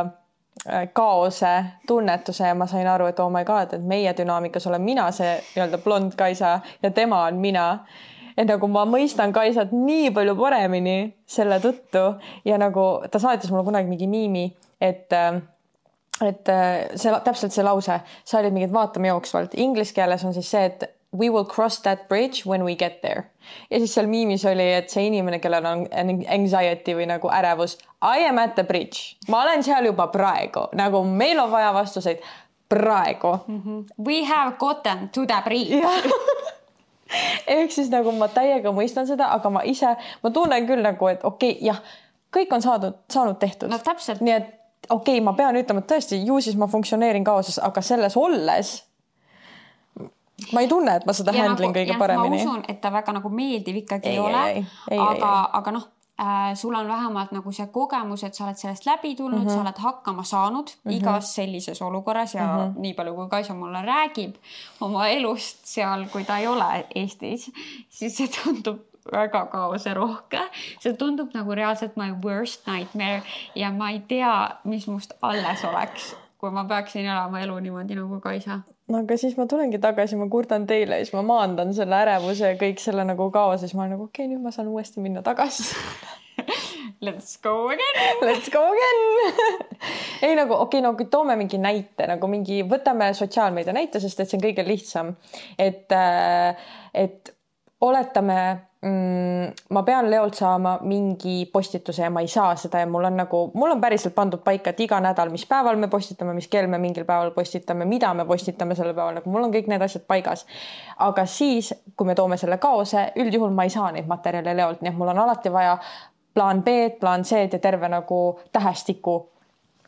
kaose tunnetuse ja ma sain aru, et oh my god, et meie dünaamikas olen mina see nii-öelda blond Kaisa ja tema on mina. Et nagu ma mõistan Kaisat nii palju paremini selle tõttu ja nagu ta saatis mulle kunagi mingi miimi, et, et see, täpselt see lause, sa olid mingi, et vaatame jooksvalt. Inglise keeles on siis see, et we will cross that bridge when we get there. Ja siis seal miimis oli, et see inimene, kellel on anxiety või nagu ärevus, I am at the bridge. Ma olen seal juba praegu, nagu meil on vaja vastuseid praegu. Mm-hmm. We have gotten to the bridge. Ehk siis nagu ma täiega mõistan seda, aga ma ise, ma tunnen küll nagu, et okei, okay, jah, kõik on saadud, saanud tehtud. No täpselt. Nii et okei okay,, ma pean ütlema, et tõesti, ju siis ma funktsioneerin kaoses, aga selles olles ma ei tunne, et ma seda ja handlin nagu, kõige jah, paremini. Ma usun, et ta väga nagu meeldiv ikkagi ei, ei ole, ei, ei, aga, ei, ei. aga noh, äh, sul on vähemalt nagu see kogemus, et sa oled sellest läbi tulnud, mm-hmm. sa oled hakkama saanud mm-hmm. igas sellises olukorras ja mm-hmm. nii palju, kui Kaisa mulle räägib oma elust seal, kui ta ei ole Eestis, siis see tundub väga kaose rohke. See tundub nagu reaalselt my worst nightmare ja ma ei tea, mis must alles oleks, kui ma peaksin elama elu niimoodi nagu Kaisa. No aga siis ma tulengi tagasi, ma kurdan teile ja siis ma maandan selle ärevuse ja kõik selle nagu kaos ja siis ma olen nagu okei, okay, nüüd ma saan uuesti minna tagasi. Let's go again. Let's go again. Ei nagu okei, okay, no kui toome mingi näite, nagu mingi, võtame sotsiaalmeedia näite, sest et see on kõige lihtsam. Et, et oletame, mm, ma pean Leolt saama mingi postituse ja ma ei saa seda ja mul on nagu, mul on päriselt pandud paika, et iga nädal, mis päeval me postitame, mis kell me mingil päeval postitame, mida me postitame selle päeval, nagu mul on kõik need asjad paigas. Aga siis, kui me toome selle kaose, üldjuhul ma ei saa neid materjale Leolt, nii et mul on alati vaja plaan B, plaan C ja terve nagu tähestiku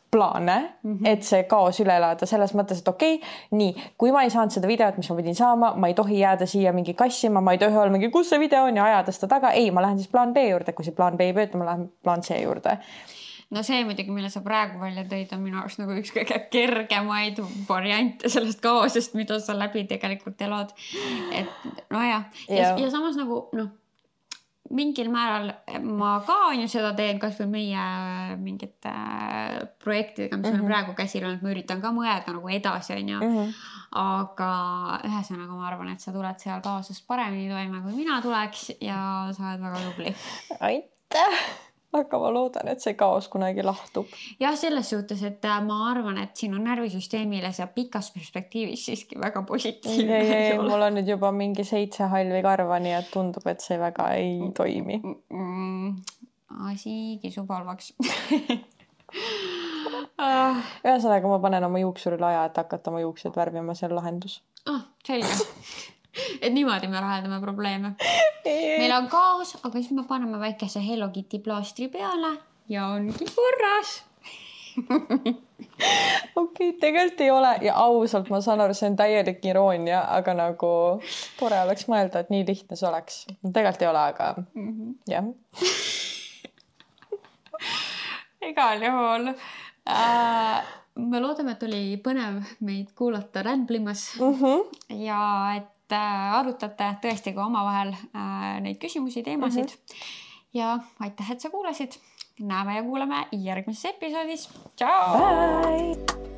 plaane, mm-hmm. et see kaos üle elada selles mõttes, et okei, okay, nii, kui ma ei saanud seda videot, mis ma pidin saama, ma ei tohi jääda siia mingi kassima, ma ei tohi olla mingi, kus see video on ja ajada seda taga, ei, ma lähen siis plaan B juurde, kui see plaan B ei pööta, ma lähen plaan C juurde. No see muidugi, mille sa praegu välja tõid, on minu arust nagu üks kõige kergemaid variante sellest kaosest, mida sa läbi tegelikult elad. Et no ja, ja, ja samas nagu, noh, mingil määral ma ka on ju seda teen, kas või meie mingite projektidega, mis mm-hmm. on praegu käsil on, et ma üritan ka mõelda nagu edasi, on ju. Mm-hmm. Aga ühesõnaga ma arvan, et sa tuled seal kaosest paremini toime, kui mina tuleks ja sa oled väga tubli. Aitäh! Aga ma loodan, et see kaos kunagi lahtub. Jah, selles suhtes, et ma arvan, et sinu närvisüsteemile see pikas perspektiivis siiski väga positiivne. Ei, ei, ei, mul on nüüd juba mingi seitse halvi karva, nii et tundub, et see väga ei toimi. Mm, asi kisub halvaks. Ühesõnaga ma panen oma juuksurile aja, et hakata oma juuksed värvima, see on lahendus. Ah, selge. Et niimoodi me lahendame probleeme. Meil on kaos, aga siis me paneme väikese Hello Kitty plaastri peale ja ongi korras. Okei, okay, tegelikult ei ole ja ausalt ma saan aru, see on täielik iroonia, aga nagu tore oleks mõelda, et nii lihtne see oleks. Tegelikult ei ole, aga mm-hmm. jah. Igal juhul. Äh, me loodame, et oli põnev meid kuulata rändblimas mm-hmm. ja et arutate tõesti ka omavahel äh, neid küsimusi, teemasid mm-hmm. ja aitäh, et sa kuulasid. Näeme ja kuuleme järgmises episoodis. Ciao! Bye!